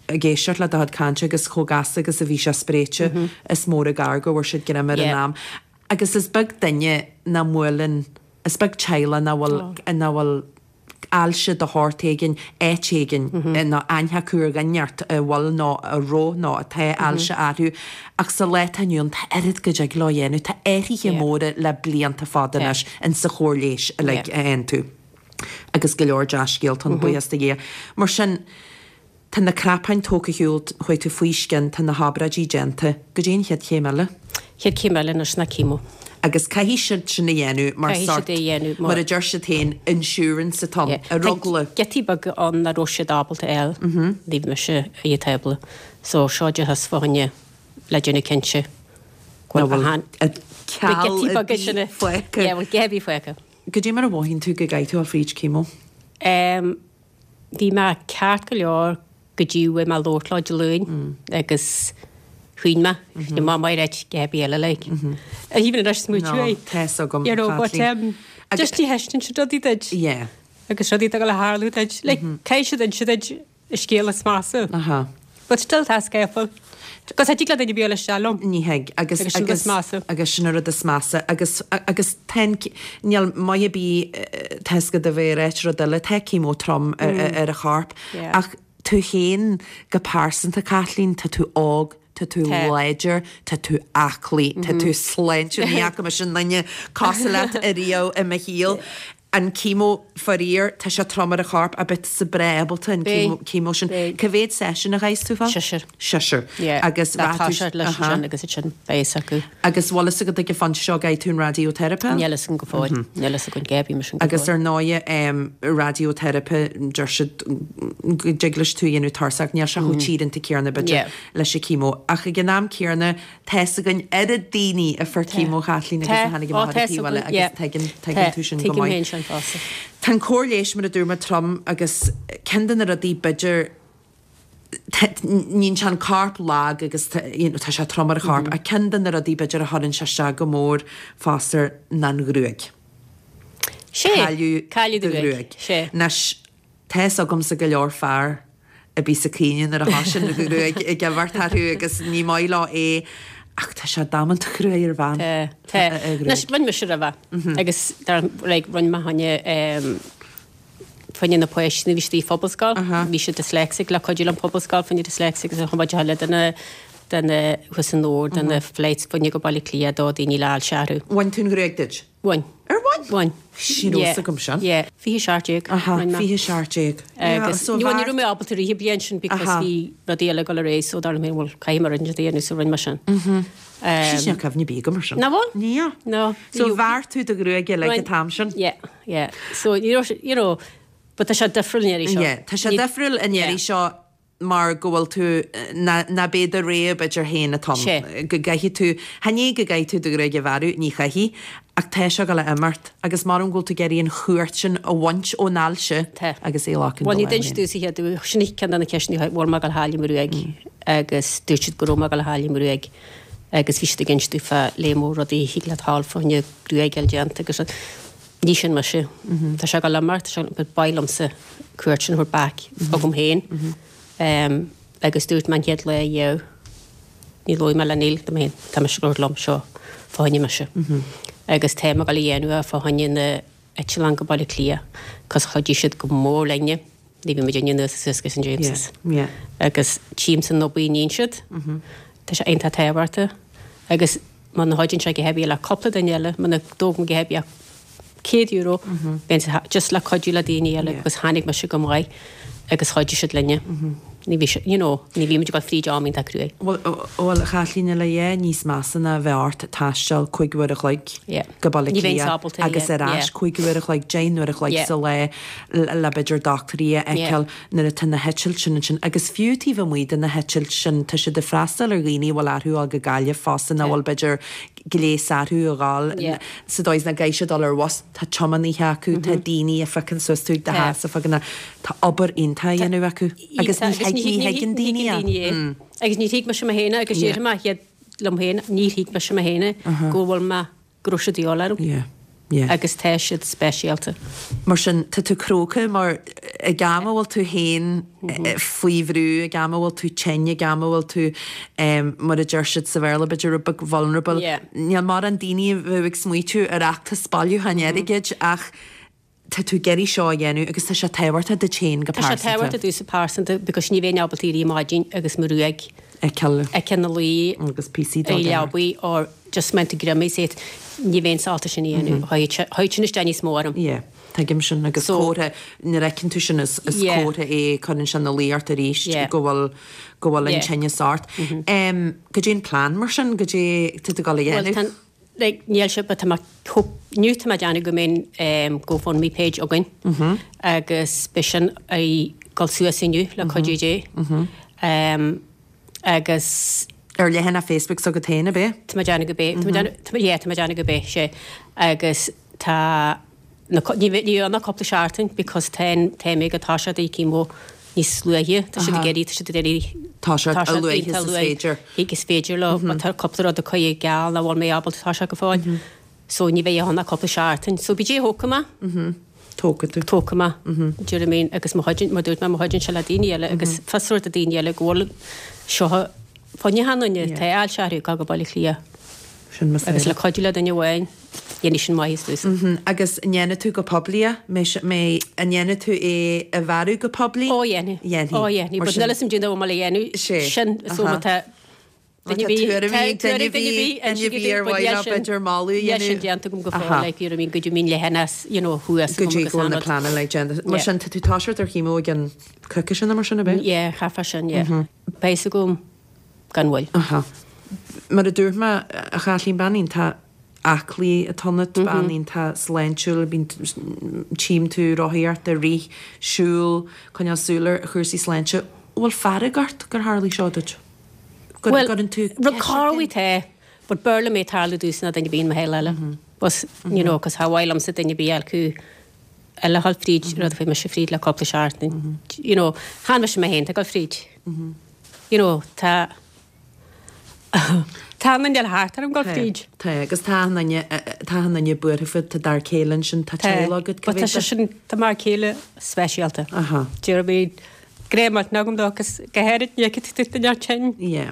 A: ag éisteacht le do chuid cainte agus chomh gasta agus a bhí sé spréite, is mór an gar go bhfuair siad greim air in am. Agus is beag duine nach mbuaileann, is beag teaghlach nach bhfuil, nach bhfuil ailse de shórt éigin, áit éigin, nó aithne acu ar dhuine inteacht a bhfuil nó a raibh nó atá ailse orthu. Ach sa lá atá inniu ann, tá oiread go dtig leo a dhéanamh. Tá athruithe móra le blianta fada anois insa chóir leighis uilig a aontú. Agus go leor dea-scéalta ann, buíochas do Dhia. Mar sin, Tá na cnapáin tógtha ar shiúl, chuaigh tú faoi scian, tá na hobráidí déanta. Goidé an chéad chéim eile?
D: Chéad chéim eile anois ná chemo.
A: Agus caithfidh siad sin a dhéanamh mar
D: Caithfidh
A: sort,
D: siad é a dhéanamh
A: mar a deir siad féin, insurance atá ann,
D: Yeah.
A: ar eagla.
D: Tá giotaí beaga ann nach raibh siad ábalta a fháil, ní bhí mise ar an tábla. So seo just fá choinne le déanamh cinnte go
A: Nach
D: bhfuil
A: bhfuil
D: achan
A: a
D: Beidh
A: ceal
D: giotaí
A: ar
D: beaga
A: bith
D: sin a
A: fágtha.
D: Yeah, bhfuil giotaí bith fágtha.
A: Goidé mar a mhothaíonn tú go gcaithfidh tú a dhul fríd chemo?
D: Em. Bhí mé ceart go leor go dtí bhí mé ag labhairt leo Dé Luain agus chaoin mé. Ní maith maith reit Gaby eile like. Even anois smaoitiú
A: No,
D: é.
A: tá fhios agam,
D: You know, but
A: Caitlín.
D: um, just ní theisteann siad rudaí duit.
A: Yeah.
D: Agus rudaí atá ag gabháil a tharlú duit. Like, caithfidh siad inse duit an scéal is measa.
A: Aha.
D: But still tá scéal. Agus thig le duine bualadh isteach liom.
A: Ní thig. Agus,
D: Agus sin rud is measa.
A: Agus sin an rud is measa. Agus, agus tá an, níl maith ar bith tá fhios agat a bheith ag ráit rud eile, tá chemo trom ar, ar an chorp.
D: Yeah.
A: Ach tú féin go pearsanta, Caitlín, tá tú óg, tá tú
D: Tá.
A: láidir, tá tú aclaí, tá tú sláintiúil, ní fhaca mise aon duine cosúil leat ariamh i mo shaol. An chemo, faraor, tá sé trom ar an chorp, ach beidh tusa breá ábalta an
D: Beidh.
A: chemo sin.
D: Beidh.
A: Cá mhéad seisiún a gheobhas tú fá?
D: Seisear.
A: Seisear.
D: Yeah.
A: Agus
D: Tá
A: rachaidh tú.
D: toiseacht leis
A: Aha.
D: ansin agus ansin beidh fhios acu.
A: Agus bhfuil fhios agat ag an phointe seo an gcaithfidh tú an raidióteiripe?
D: Níl fhios agam go fóill. Níl fhios agam cé bím sin go
A: Agus
D: fóill.
A: ar ndóighe, raidióteiripe, deir siad go dtig leis tú a dhéanamh tuirseach, níl sé chomh tíoranta céanna b'fhéidir
D: Yeah.
A: leis an chemo. Ach ag an am céanna, Tá fhios againn oiread daoine a fuair chemo, a Chaitlín, agus a tháinig amach ar an taobh eile agus tuigeann, tuigeann tú sin go maith. Tá an cóir leighis, mar a dúirt mé, trom agus ceann de na rudaí b'fhéidir, níonn sé an corp lag agus tá, you know, tá sé trom ar an chorp ach ceann de na rudaí b'fhéidir a chuireann sé isteach go mór fosta ná an ghruaig.
D: Sé,
A: Cailleadh do ghruaig.
D: Sé.
A: Anois, Tá fhios agamsa go leor fear a bíos ag caoineadh nuair a thosaíonn an ghruaig ag imeacht orthu agus ní maith leo é ach tá sé damanta cruaidh ar bhean.
D: Tá, tá. Anois, rinne mise roimhe agus dar, like, rinne mé fá choinne, fá choinne na páistí nuair a bhí siad i phobalscoil, bhí siad dyslexic le cuidiú le an phobalscoil fá choinne dyslexic agus chuaigh muid a thuilleadh de na, de na, thuas an Nord, de na flights fá choinne go Baile Átha Cliath do daoine le ailse orthu.
A: Bhain tú an ghruaig duit?
D: Bhain.
A: Ar bhain?
D: Bhain.
A: Ní raibh fhios agam sin.
D: Yeah. 20 17.
A: Aha, 20 17.
D: Agus
A: so
D: ní raibh mé ábalta rith an bhliain sin because bhí rudaí eile ag dul ar aghaidh so dar liom féin bhuel caithfidh mé rud inteacht a dhéanamh so rinne mé sin.
A: Sin níl cuimhne ar bith agam ar sin.
D: Nach bhfuil?
A: Níl.
D: No.
A: So bhearr tú do ghruaig uilig an t-am sin?
D: Yeah, yeah. So you know, you know, but tá sé difriúil an iarraidh seo.
A: Yeah, tá sé difriúil an iarraidh seo. mar go bhfuil tú, ná b'é do rogha b'fhéidir féin atá ann, go gcaithfidh tú, chan é go gcaithfidh tú do ghruaig a bhearradh, ní chaithfidh, ach tá sé ag dul a imeacht agus maram go bhfuil tú ag iarraidh an chumhacht sin a bhaint ón ailse agus é a ghlacadh
D: Bhuel, ní d'inis tú sa chéad uair, sin ceann de na ceisteanna a bhfuil mé ag dul thall i mo ghruaig agus dúirt siad go raibh mé ag dul thall i mo ghruaig agus bhí siad ag inst fá léim ó rudaí a thig leat thall fá choinne gruaig a fháil déanta agus rud. Ní sin mise. Tá sé ag dul a imeacht, tá sé, but ba mhaith liomsa cumhacht sin a thabhairt back agam féin. Agus dúirt mé an chéad lá dhéag, ní luaigh mé le Neil dom féin, tá mise ag dul liom seo fá choinne mise. Agus tá mé ag dul a dhéanamh é fá choinne na eitleán go Baile Átha Cliath, cos chuidigh siad go mór linne, ní bhí muid anuas is go St James's. Agus tchímse an obair a níonn siad, tá sé iontach tábhachtach. Agus muna chuidíonn sé go heavy le cúpla duine eile, muna dtógann go heavy ach €100, bheinn just le cuidiú le daoine eile agus tháinig mise go maith agus chuidigh siad linne. Ní bhí you know, ní bhí muid ag dul fríd am iontach cruaidh.
A: Bhuel, bhuel, a Chaitlín, níl a dhath níos measa ná a bheith ort taisteal 5 uair a chloig go Baile
D: Ní bheinn
A: Cliath
D: ábalta,
A: agus ar ais 5 uair a chloig, 10 n-uair a chloig sa lá le b'fhéidir dochtúirí a fheiceáil nuair atá na heitilt sin ansin. Agus fiú taobh amuigh de na heitilt sin, tá siad ag freastal ar dhaoine a bhfuil orthu dul go Gaillimh fosta nach bhfuil b'fhéidir gléas orthu a dhul sa dóigh is nach gcaithfidh siad dul ar bhus. Tá tiománaithe acu, tá daoine a phiocann suas tú ag do theach, a phiocann, tá obair iontach á dhéanamh acu agus ní thuigeann daoine
D: é. Agus ní thuig mise mé féin é agus déarfaidh mé chéad liom féin, ní thuig mise mé féin é go bhfuil mé go raibh siad de dhíobháil orm. Agus tá siad speisialta.
A: Mar sin, tá tú cróga mar ag am a bhfuil tú féin faoi bhrú, ag am a bhfuil tú tinn, ag am a bhfuil tú, mar a deir siad sa Bhéarla, b'fhéidir rud beag vulnerable, níl mórán daoine a bheadh ag smaoitiú ar fheachtas bailiúcháin airgid ach tá tú ag iarraidh seo a dhéanamh agus tá sé tábhachtach duit féin go
D: pearsanta. Tá sé tábhachtach domhsa pearsanta because ní bheinn ábalta éirí maidin agus mo ghruaig
A: fheiceáil
D: aici ina luí
A: agus píosaí
D: i leabaidh or just meant to greamaigh said ní bheinn sásta sin a dhéanamh. Chuirfeadh sin isteach níos mó orm.
A: Yeah, tuigim sin agus comhartha, nuair a fheiceann tú sin is comhartha é, cuireann sé ina luí ort arís go bhfuil go bhfuil an tinneas ort. Goidé an plean mar sin, goidé tá tú ag dul a dhéanamh?
D: Like, níl sé, but tá mé hope, inniu tá mé ag déanamh go mbeidh an GoFundMe page againn agus beidh sin ag dul suas inniu le cuidiú Dé. Agus.
A: Ar leathanach Facebook s'agat féin, ab
D: é? Tá mé ag déanamh go beidh, tá mé ag déanamh, tá mé, yeah, tá mé ag déanamh go beidh, sé. Agus tá na, ní bheidh, ní bheidh ann ach cúpla seachtain because tá an, tá mé ag toiseacht an chemo níos luaithe, tá siad ag iarraidh, tá siad ag iarraidh,
A: Toiseacht a luaithe is is féidir.
D: is féidir leo, but tá cúpla rud acu ag geall nach bhfuil mé ábalta toiseacht go fóill. So ní bheidh ann ach cúpla seachtain. So b'fhéidir tógfaidh mé.
A: Tógfaidh tú.
D: Tógfaidh mé. Do you know what I mean? Agus má chuidíonn, mar dúirt mé, má chuidíonn sé le daoine eile agus fios a thabhairt do daoine eile go bhfuil seo fá choinne achan duine, tá ailse orthu, ag dul go Baile Átha Cliath.
A: Sin mo
D: Agus le cuidiú le duine amháin, dhéanfaidh sin maitheas domhsa.
A: Agus an ndéanfaidh tú go poiblí é? An ndéanfaidh tú é a bhearradh go poiblí?
D: Ó dhéanfaidh.
A: Dhéanfaidh.
D: Ó dhéanfaidh. But níl a fhios agam goidé bhfuil mé le dhéanamh. Sin, so má tá
A: duine ar bith, tuairimí ag duine ar bith, duine ar bith ar mhaith leo b'fhéidir moladh a
D: dhéanamh. Níl sin déanta agam go fóill, like, you know what I mean, go dtí mín leathanach, you know, thuas
A: agam agus an rud. Go dtí go bhfuil na pleananna like déanta. Mar sin, tá tú toiseacht ar chemo i gcionn coicíse nó mar sin, ab
D: é? Yeah, chaithfeá sin, yeah. Beidh fhios agam. gan mhoill.
A: Aha. Mar a dúirt mé, a Chaitlín, bean iontach aclaí atá ionat, bean iontach sláintiúil, bíonn, tchím tú ag rothaíocht, ag rith, siúl, coinneáil súil ar chúrsaí sláinte. An bhfuil fearg ort gur tharlaigh seo duit?
D: Go gcuireann tú ceist ort féin? Tá, but b'fhearr liom é tarlú domhsa ná duine ar bith in mo theaghlach eile. Was, you know, 'cause cha mhaith liomsa duine ar bith a fheiceáil eile a dhul fríd rud a chuaigh mise fríd le cúpla seachtain. You know, chan mise mé féin atá ag dul fríd. You know, tá, tá an duine eile thart orm ag dul fríd.
A: Tá, agus tá an duine, tá an duine buartha fút, tá d'fhear céile ansin, tá teaghlach agat,
D: cá mhéad. Tá sé sin, tá m'fhear céile speisialta.
A: Aha.
D: Do you know what I mean? Grá millteanach agam dó agus go háirid ní fheicfidh tú duine tinn.
A: Yeah.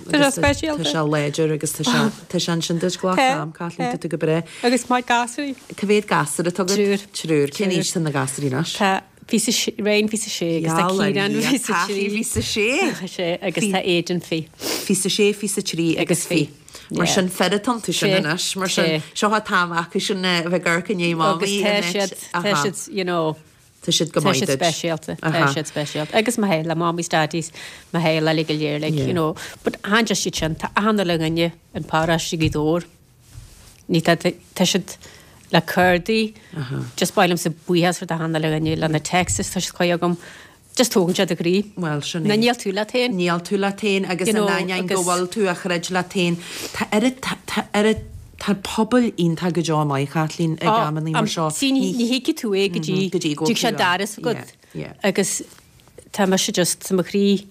D: Tá sé speisialta.
A: Tá sé láidir agus tá sé, tá sé ansin duit, glac am, Caitlín, tá tú go breá.
D: Agus maith gasúraí.
A: Cá mhéad gasúr atá agat?
D: Triúr.
A: Triúr. Cén aois tá na gasúraí anois?
D: Tá Bhí sa sé, Ryan bhí sa sé agus tá Ciarán bhí sa trí.
A: Bhí sa sé.
D: Sé agus tá Aidan fi.
A: Bhí sa sé, bhí sa trí agus fi. Mar sin fir atá iontu sin anois, mar sin seo an t-am acu sin a bheith ag amharc i ndiaidh
D: mamaí Agus tá siad, tá siad, you know,
A: Tá siad go maith
D: duit. Tá siad speisialta, tá siad speisialta. Agus mo theaghlach, mamaís, daddies, mo theaghlach uilig go léir, like, you know, but chan just iad sin, tá achan uile dhuine in paróiste Ghaoth Dobhair. Ní tá tá siad le cairde just ba mhaith liomsa buíochas a thabhairt d'achan uile dhuine le na texts tá siad curtha agam. Just tógann sé do chroí.
A: Bhuel, sin é.
D: Ná níl tú leat féin.
A: Níl tú leat féin agus
D: You know,
A: in ainneoin go
D: agus-
A: bhfuil tú á throid leat féin, tá oiread, tá, tá oiread, tá pobal iontach go deo maith, Chaitlín, ag amannaí mar seo.
D: See, ní, ní thuigfidh tú é go dtí,
A: go dtí go
D: dtig sé
A: tú ann.
D: d'fhearas agat.
A: Yeah, yeah.
D: Agus tá mise just, tá mo chroí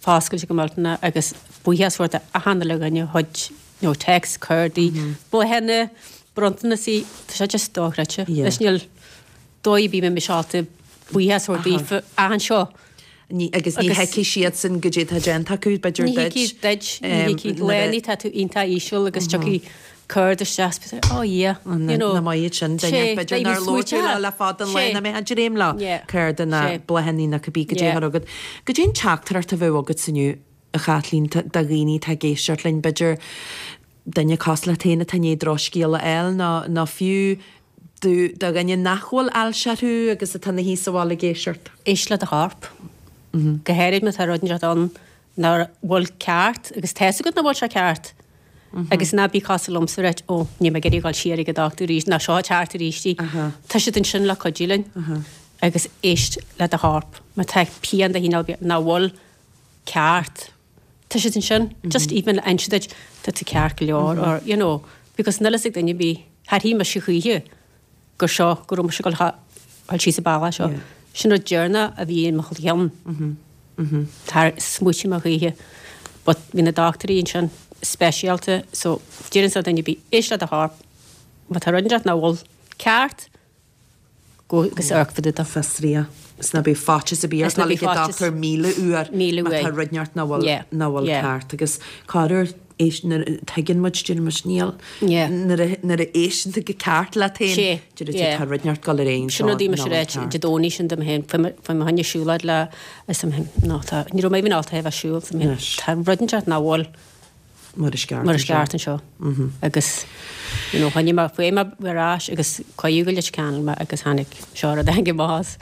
D: foscailte go millteanach agus buíochas a thabhairt d'achan uile dhuine a chuid, you know, texts, cártaí, bláthanna, bronntanasaí, tá sé just dochreidte.
A: Yeah.
D: Is níl, dóigh ar bith a mbeidh mise ábalta buíochas a thabhairt daofa anseo.
A: Ní, agus ní
D: Agus-
A: thuigfidh siadsan goidé atá déanta acu, b'fhéidir
D: Ní
A: duit.
D: thuigfidh duit, ní thuigfidh.
A: nuair a-
D: Laethanta tá tú iontach íseal agus tiocfaidh cárta isteach is beidh tú, oh yeah, you know.
A: Na maith iad sin, duine,
D: Sé,
A: b'fhéidir
D: beidh
A: nár
D: mé
A: labhair tú
D: smaointe.
A: leo le fada an lá
D: Sé.
A: nach mbeadh ag dréim leo
D: Yeah.
A: cárta ná
D: Sé.
A: bláthanna ná cibé goidé
D: Yeah.
A: atá agat. Goidé an teachtaireacht a bheadh agat inniu, a Chaitlín, do dhaoine atá ag éisteacht linn, b'fhéidir duine cosúil leat féin atá i ndiaidh drochscéal a fháil nó, nó fiú do dhuine nach bhfuil ailse orthu agus atá ina shuí sa bhaile ag éisteacht.
D: Éist le do chorp. Go háirid má tá rud inteacht ann nach bhfuil ceart agus tá fhios agat nach bhfuil sé ceart. Agus ná bí cosúil liomsa ag ráit, ó, níl mé ag iarraidh dul siar ag an dochtúir arís, ná seo ag teacht arís í. Tá siad ansin le cuidiú linn. Agus éist le do chorp. Má tá pian de chineál ar bith nach bhfuil ceart, tá siad ansin, just even le inse duit, tá tú ceart go leor, or, you know, because níl fhios ag duine ar bith, char shíl mise choíche gur seo, go raibh mise ag dul dhul síos an bealach seo. Sin rud deireanach a bhí i mo cheann. Char smaoitigh mé choíche. But bhí na dochtúirí ansin speisialta, so déarfainnse le duine ar bith, éist le do chorp, má tá rud inteacht nach bhfuil ceart, Go agus amharc fá dtaobh de.
A: Fiosraithe. Is ná bíodh faitíos ar bith ort
D: Is ná
A: dul
D: bíodh
A: ag an
D: faitíos.
A: dochtúir 1000 uair
D: 1000
A: má tá
D: uair.
A: rud inteacht nach bhfuil
D: Yeah,
A: nach bhfuil
D: yeah.
A: ceart agus corruair éist nuair a tuigeann muid deireann muid níl
D: Yeah.
A: nuair a nuair a éisteann tú go ceart leat féin
D: Sé,
A: deireann tú
D: yeah.
A: tá rud inteacht ag dul ar aghaidh
D: Sin
A: anseo
D: rud a bhí
A: nach
D: mise
A: bhfuil
D: ag ráit
A: ceart.
D: Dé Domhnaigh sin dom féin fuair mé fá choinne siúlóid le is dom féin no tá ní raibh mé even ábalta a bheith ag siúl dom féin
A: Anois.
D: tá rud inteacht nach bhfuil
A: Mar is ceart
D: Mar is
A: anseo.
D: ceart anseo. Agus you know choinnigh mé fuair mé ar ais agus cuireadh go Leitir Ceanainn mé agus tháinig seo rud éigin amach as.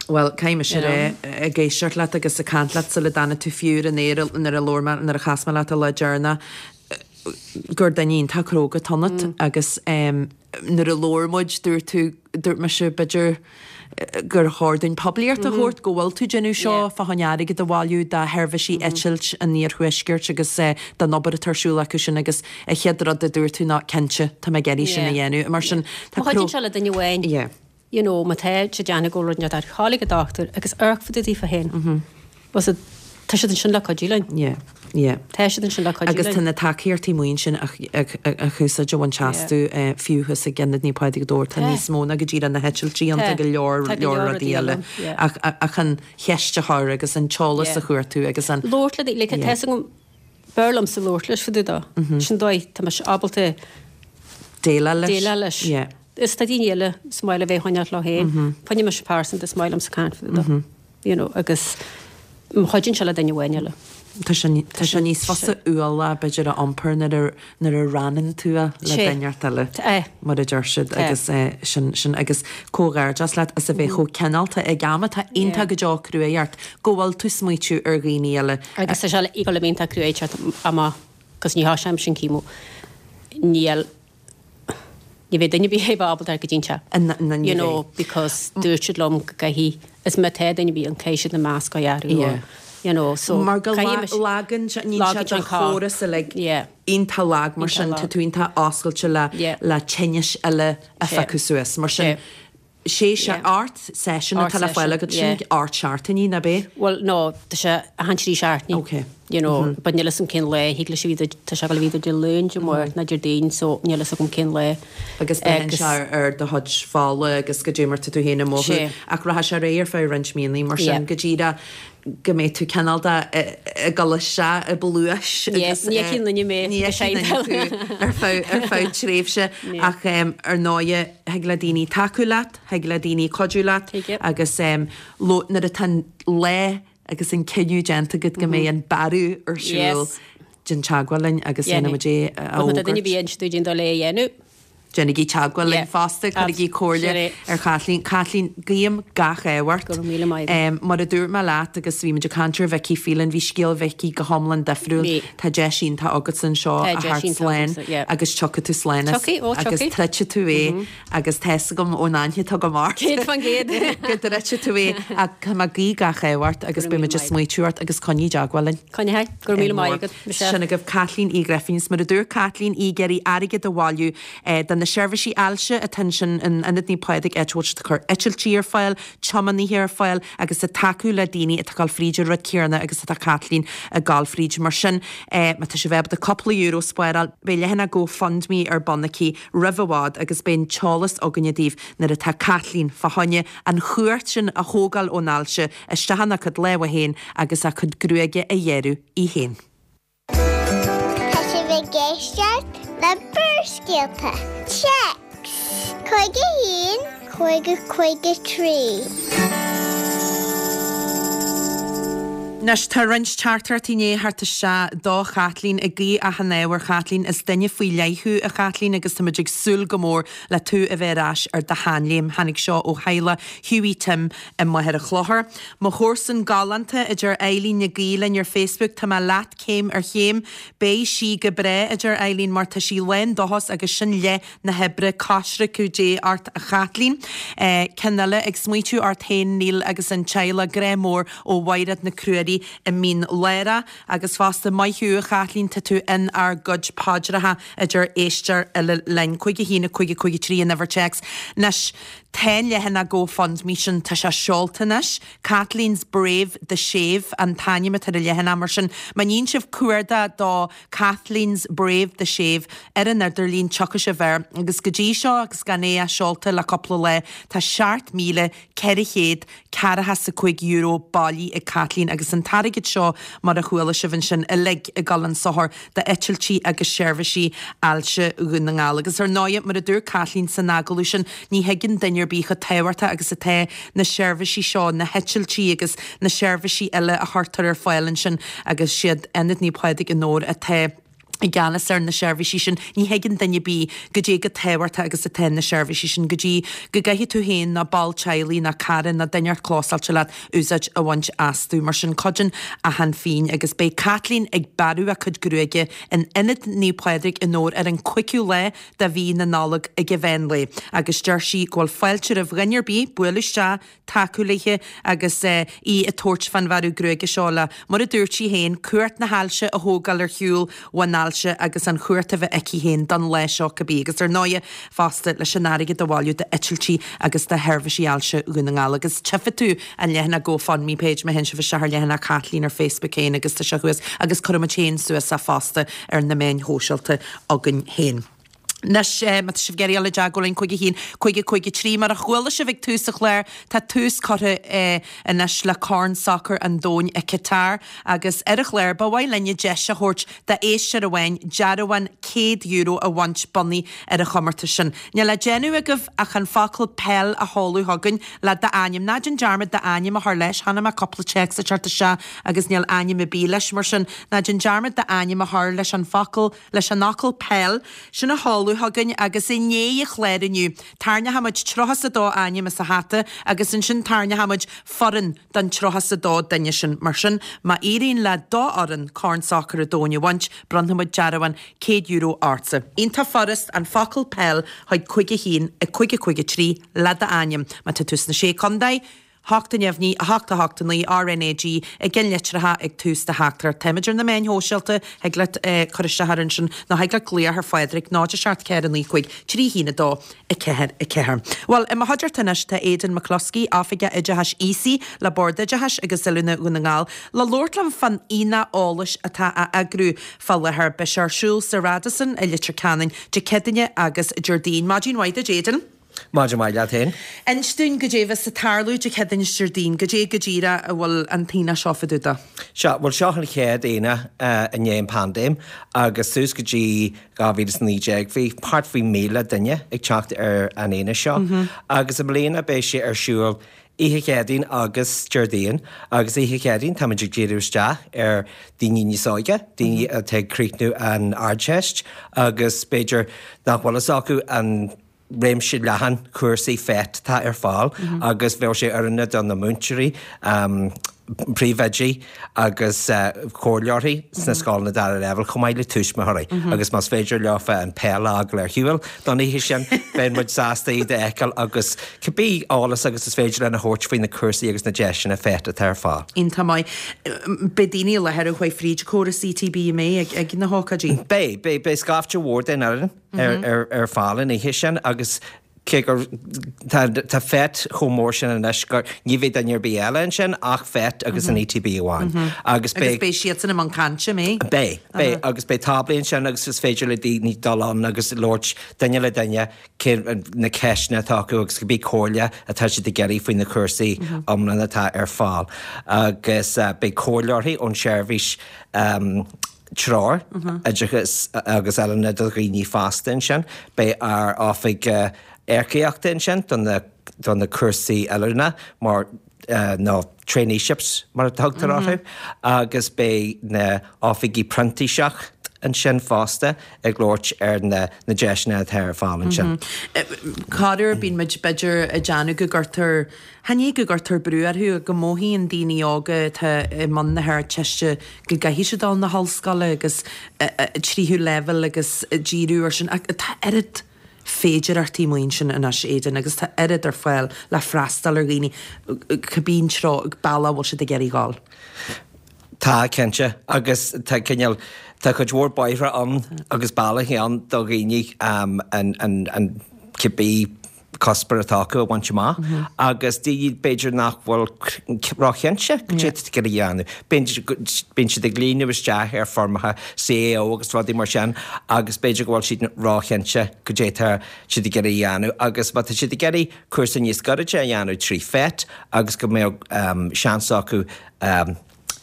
A: Bhuel, caithfidh mise
D: You
A: a rá,
D: know.
A: ag éisteacht leat agus ag caint leat sula dtáinig tú fiú ar an aer nuair a labhair mé, nuair a chas mé leat an lá deireanach, gur duine iontach cróga atá ionat agus nuair a labhair muid, dúirt tú, dúirt mise, b'fhéidir gur chóir dúinn poiblíocht a thabhairt go bhfuil tú ag déanamh seo fá choinne airgead a bhailiú do sheirbhísí eitilt an iarthuaiscirt agus don obair atá ar siúl acu sin agus an chéad rud a dúirt tú ná cinnte, tá mé ag iarraidh sin a dhéanamh. Mar sin, tá
D: Má chuidíonn sé le duine amháin, you know, má tá sé déanamh go bhfuil rud inteacht gabh ag an dochtúir agus amharc fá dtaobh daofa féin. Was it, tá siad ansin le cuidiú linn.
A: Yeah, yeah.
D: Tá siad ansin le cuidiú
A: Agus tá
D: linn.
A: na tacaíochtaí maoin sin a úsáid a bhaint astu fiú thuas ag Ionad Naomh Pádraig Dobhair, tá
D: Tá.
A: níos mó ná go díreach na heitiltí ann,
D: Tá.
A: tá go leor,
D: Tá go
A: leor
D: leor
A: rudaí
D: rudaí
A: eile.
D: eile, yeah.
A: Ach, ach an cheist a chur agus an t-eolas
D: Yeah.
A: a chuartú agus an.
D: Labhairt le daoine, like, tá
A: Yeah.
D: fhios agam, b'fhearr liomsa labhairt leis fá dtaobh de. Sin dóigh, tá mise ábalta
A: Déileáil leis.
D: déileáil leis.
A: Yeah.
D: Is tá daoine eile is maith leo a bheith ag choinneáil leo féin. Fá choinne mise pearsanta is maith liomsa caint fá dtaobh de. You know, agus má chuidíonn sé le duine amháin eile.
A: Tá sé tá sé níos fusa ualach b'fhéidir a iompar nuair a nuair a roinneann tú é le
D: Sé.
A: duine inteacht eile.
D: Tá.
A: Mar a deir siad
D: Tá.
A: agus sin sin agus comhghairdeas leat as a bheith chomh cineálta ag am atá iontach go deo cruaidh ort go bhfuil tú ag smaoitiú ar dhaoine eile.
D: Agus tá sé ag dul a bheith iontach cruaidh ag teacht amach 'cause ní thoiseoidh mise an chemo. Níl Ní bheidh duine ar bith ábalta ar go dtí seo.
A: Na, ní
D: You know,
A: bheidh.
D: because dúirt siad liom go gcaithfidh, is má tá duine ar bith ann, caithfidh siad na masc a athrú or,
A: Yeah.
D: you know, so
A: Mar go
D: caithfidh mise-
A: lagann sé, níl sé
D: Lagann sé
A: do
D: an corp.
A: chóras uilig
D: Yeah.
A: iontach lag, mar
D: Iontach
A: sin tá
D: lag.
A: tú iontach oscailte le,
D: Yeah.
A: le tinnis eile a
D: Yeah.
A: phiocadh suas. Mar sin,
D: Yeah.
A: sé sé
D: Yeah.
A: ocht seisiún
D: Ocht
A: atá le fáil
D: session,
A: agat sin,
D: yeah.
A: ocht seachtainí, ná b'é?
D: Bhuel, no, tá sé achan trí seachtainí.
A: Ok.
D: You know, but níl fhios agam cén lá, thig leis a bheith, tá sé ag dul a bheith Dé Luain, Dé Máirt nó Déardaoin, so níl fhios agam cén lá.
A: Agus braitheann sé ar ar do chuid fola agus goidé mar tá tú féin ag mothú.
D: Sé.
A: Ach rachaidh sé ar aghaidh ar feadh roinnt míonna, mar
D: Yeah.
A: sin go díreach go mbeidh tú cineál de ag dul isteach i bpluais
D: Yeah,
A: agus
D: ní fheicfidh duine mé
A: ní
D: go
A: fheicfidh duine
D: seinnteáil.
A: tú ar feadh ar feadh tréimhse
D: Yeah.
A: ach ar ndóighe thig le daoine tacú leat, thig le daoine cuidiú leat
D: Thig, yeah.
A: agus lo nuair atá an lá agus an cinneadh déanta agat go mbeidh an bearradh ar siúl
D: Yes.
A: déan teagmháil linn agus
D: Yeah,
A: déanfaidh muid é a
D: But má tá duine
A: fhógairt.
D: ar bith inste dúinn dul é a dhéanamh.
A: Déanaigí teagmháil linn fosta, cuirigí comhairle ar Chaitlín. Caitlín, guím gach ádh ort. Go raibh míle maith agat. Mar a dúirt mé leat agus bhí muid ag caint ar Vicky Phelan, bhí scéal Vicky go hiomlán difriúil. Tá deis iontach agatsa anseo a theacht slán agus tiocfaidh tú slán as agus troidfidh tú é agus tá fhios agam ón aithne atá agam ort 100%. go dtroidfidh tú é ach tá mé ag guí gach ádh ort agus beidh muid ag smaoitiú ort agus coinnigh i dteagmháil linn.
D: Coinneoidh. Go raibh míle maith agat,
A: Michelle. Sin agaibh Caitlín Uí Ghrifín. Is mar a dúirt Caitlín, í ag iarraidh airgead a bhailiú do na seirbhísí ailse atá ansin in Ionad Naomh Pádraig, áit a bhfuil siad ag cur eitiltí ar fáil, tiománaithe ar fáil agus ag tacú le daoine atá ag dul fríd an rud céanna agus atá Caitlín ag dul fríd. Mar sin, má tá sibh ábalta cúpla euro a spáráil, beidh leathanach GoFundMe ar bun aici roimh i bhfad agus beidh an t-eolas againne daoibh nuair atá Caitlín fá choinne an chuairt sin a thógáil ón ailse isteach ina cuid lámha féin agus a cuid gruaige a ghearradh í féin.
C: Tá sibh ag éisteacht le Barrscéalta. Téacs 51 50 53.
A: Anois, tá roinnt teachtaireachtaí i ndiaidh theacht isteach do Chaitlín, ag guí achan ádh ar Chaitlín. Is duine faoi leith thú, a Chaitlín, agus táimid ag súil go mór le tú a bheith ar ais ar do sheanléim. Tháinig seo ó theaghlach Hughie Tim i Machaire Chlochair. Mo chomharsan galánta, a deir Eileen Nic Aoidh linn ar Facebook, tá mé leat céim ar chéim. Beidh sí go breá, a deir Eileen, mar tá sí lán dóchas agus sin leath na hoibre. Coisricfeadh Dé ort a Chaitlín. Ceann eile, ag smaoitiú ort féin Neil agus an teaghlach, grá mór ó Mhaighread Nic Ruairí i Mín Lárach. Agus fosta, maith thú a Chaitlín, tá tú in ár gcuid paidreacha, a deir éisteoir eile linn. 51 5 5 3 an uimhir téacs. Anois. Tá an leathanach GoFundMe sin, tá sé seolta anois. Caitlín's Brave the Shave an t-ainm atá ar an leathanach, mar sin má níonn sibh cuardach do Kathleen's Brave the Shave ar an idirlíon tiocfaidh sibh air. Agus go dtí seo, agus gan é ach seolta le cúpla lá, tá €7,400 €45 bailithe ag Caitlín agus an t-airgead seo, mar a chuala sibh ansin, uilig ag dul chun sochair d'eitiltí agus seirbhísí ailse Dhún na nGall. Agus ar ndóigh, mar a dúirt Caitlín san agallamh sin, ní thuigeann duine ar bith chomh tábhachtach agus atá na seirbhísí seo, na heitiltí agus na seirbhísí eile a chuirtear ar fáil ansin agus siad Ionad Naomh Pádraig i nDobhar atá i gceannas ar na seirbhísí sin. Ní thuigeann duine ar bith goidé chomh tábhachtach agus atá na seirbhísí sin go dtí go gcaithfidh tú féin nó ball teaghlaigh nó cara nó duine inteacht clósáilte leat úsáid a bhaint astu. Mar sin cuidíonn achan phingin agus beidh Caitlín ag bearradh a cuid gruaige in Ionad Naomh Pádraig i nDobhar ar an 5ú lá de mhí na Nollag ag an mheán lae agus deir sí go bhfuil fáilte roimh dhuine ar bith bualadh isteach tacú léithe agus í ag tabhairt fán bhearradh gruaige seo le, mar a dúirt sí féin, cumhacht na hailse a thógáil ar shiúl ón ailse agus an chumhacht a bheith aici féin don lá seo cibé. Agus ar ndóighe fosta leis an airgead a bhailiú d'eitiltí agus do sheirbhísí ailse Dhún na nGall. Agus tchífidh tú an leathanach GoFundMe page má théann sibh isteach ar leathanach Chaitlín ar Facebook féin agus tá sé thuas agus cuirfidh muid féin suas é fosta ar na meáin shóisialta againn féin. Anois, má tá sibh ag iarraidh dul i dteagmháil linn, 5 1 5 5 3, mar a chuala sibh ag tús an chláir, tá tús curtha anois le Corn Sacair an Domhain i Qatar agus ar an chlár, ba mhaith linne deis a thabhairt d'éisteoir amháin dearbhán €100 a bhaint bunaithe ar an chomórtas sin. Níl le déanamh agaibh ach an focal 'peil' a sheoladh chugainn le d'ainm. Ná déan dearmad d'ainm a chur leis, chonaic mé cúpla téacs ag teacht isteach agus níl ainm ar bith leis, mar sin ná déan dearmad d'ainm a chur leis an focal leis an fhocal peil sin a sheoladh chugainn agus i ndiaidh an chláir inniu, tarraingeoidh muid 32 ainm as an hata agus ansin tarraingeoidh muid foireann don 32 duine sin. Mar sin, má éiríonn le do fhoireann Corn Sacair an Domhain a bhaint, bronnfaidh muid dearbhán €100 ortsa. Iontach furast, an focal peil chuig 5 1 5 5 3 le d'ainm. Má tá tú sna Sé Contae, 8 neamhní, 8 8 9, RnaG, i gceannlitreacha ag tús do theachtaireacht. Táimid ar na meáin shóisialta, thig leat cur isteach orainn ansin, nó thig leat glaoch ar Phádraig, 0 7 4 9 5 3 1 2 4 4. Bhuel, i mo chuideachta anois tá Aidan McCluskey, Oifigeach Oideachais Aosaigh le Bord Oideachais agus Oiliúna Dhún na nGall, le labhairt liom fán aonach eolais atá á eagrú fá láthair. Beidh sé ar siúl sa Radisson i Leitir Ceanainn Dé Céadaoine agus Déardaoin. Maidin mhaith duit, Aidan.
E: Maidin mhaith leat féin.
A: Inis dúinn goidé a bheas ag tarlú Dé Céadaoin is Déardaoin, goidé go díreach a bhfuil an t-aonach seo fá dtaobh de.
E: Sea, bhuel seo an chéad aonach i ndiaidh an paindéim agus suas go dtí 2019 bhí thart faoi 1,000 duine ag teacht ar an aonach seo agus i mbliana beidh sé ar siúl. Oíche Chéadaoin agus Déardaoin, agus oíche Chéadaoin táimid ag díriú isteach ar daoine níos óige, daoine atá ag críochnú an Ardteist agus b'fhéidir nach bhfuil fhios acu an réimse leathan cúrsaí FET atá ar fáil agus bheadh sé oiriúnach do na múinteoirí, príomhoidí agus comhairleoirí sna scoileanna dara leibhéal chomh maith le tuismitheoirí agus más féidir leofa an peil a fhágáil ar shiúl don oíche sin beidh muid sásta iad a fheiceáil agus cibé eolas agus is féidir linn a thabhairt faoi na cúrsaí agus na deiseanna FET atá ar fáil.
A: Iontach maith. Beidh daoine i láthair a chuaigh fríd córas ETB an mbeidh ag na hócáidí?
E: Beidh, beidh, beidh scaifte mhór den fhoireann ar fáil an oíche sin agus cé gur tá tá FET chomh mór sin anois gur ní bheidh duine ar bith eile ansin ach FET agus an ETB amháin.
A: Agus beidh. Agus beidh siadsan i mbun cainte, an mbeidh?
E: Beidh, beidh. Agus beidh táblaí ansin agus is féidir le daoine dul ann agus labhairt duine le duine cé na ceisteanna atá acu agus cibé comhairle atá siad ag iarraidh faoi na cúrsaí iomlána atá ar fáil. Agus beidh comhairleoirí ón seirbhís treoir, oideachais agus oiliúna do dhaoine fásta ansin. Beidh ár oifig earcaíochta ansin do na do na cúrsaí oiliúna mar nó traineeships mar a thugtar orthu agus beidh na oifigigh printíseach ansin fosta ag labhairt ar na na deiseanna atá ar fáil ansin.
A: Corruair bíonn muid b'fhéidir ag déanamh go gcuirtear Chan é go gcuirtear brú orthu ach go mothaíonn daoine óga atá i mbun na hArdteiste go gcaithfidh siad dul na hollscoile agus tríú leibhéal agus díriú ar sin. Ach tá oiread féidearthachtaí amuigh ansin anois, Aidan, agus tá oiread ar fáil le freastal ar dhaoine cibé an treo, bealach a bhfuil siad ag iarraidh dhul.
E: Tá, cinnte. Agus tá cineál, tá cuid mhór bóithre ann agus bealaí ann do dhaoine an, an, an cibé cuspóir atá acu a bhaint amach agus daoine b'fhéidir nach bhfuil róchinnte cad é atá ag iarraidh a dhéanamh. Bíonn siad ag líonadh isteach ar foirmeacha CAO agus rudaí mar sin agus b'fhéidir go bhfuil siad róchinnte cad é atá siad ag iarraidh a dhéanamh agus má tá siad ag iarraidh cúrsa níos gairide a dhéanamh trí FET agus go mbeadh seans acu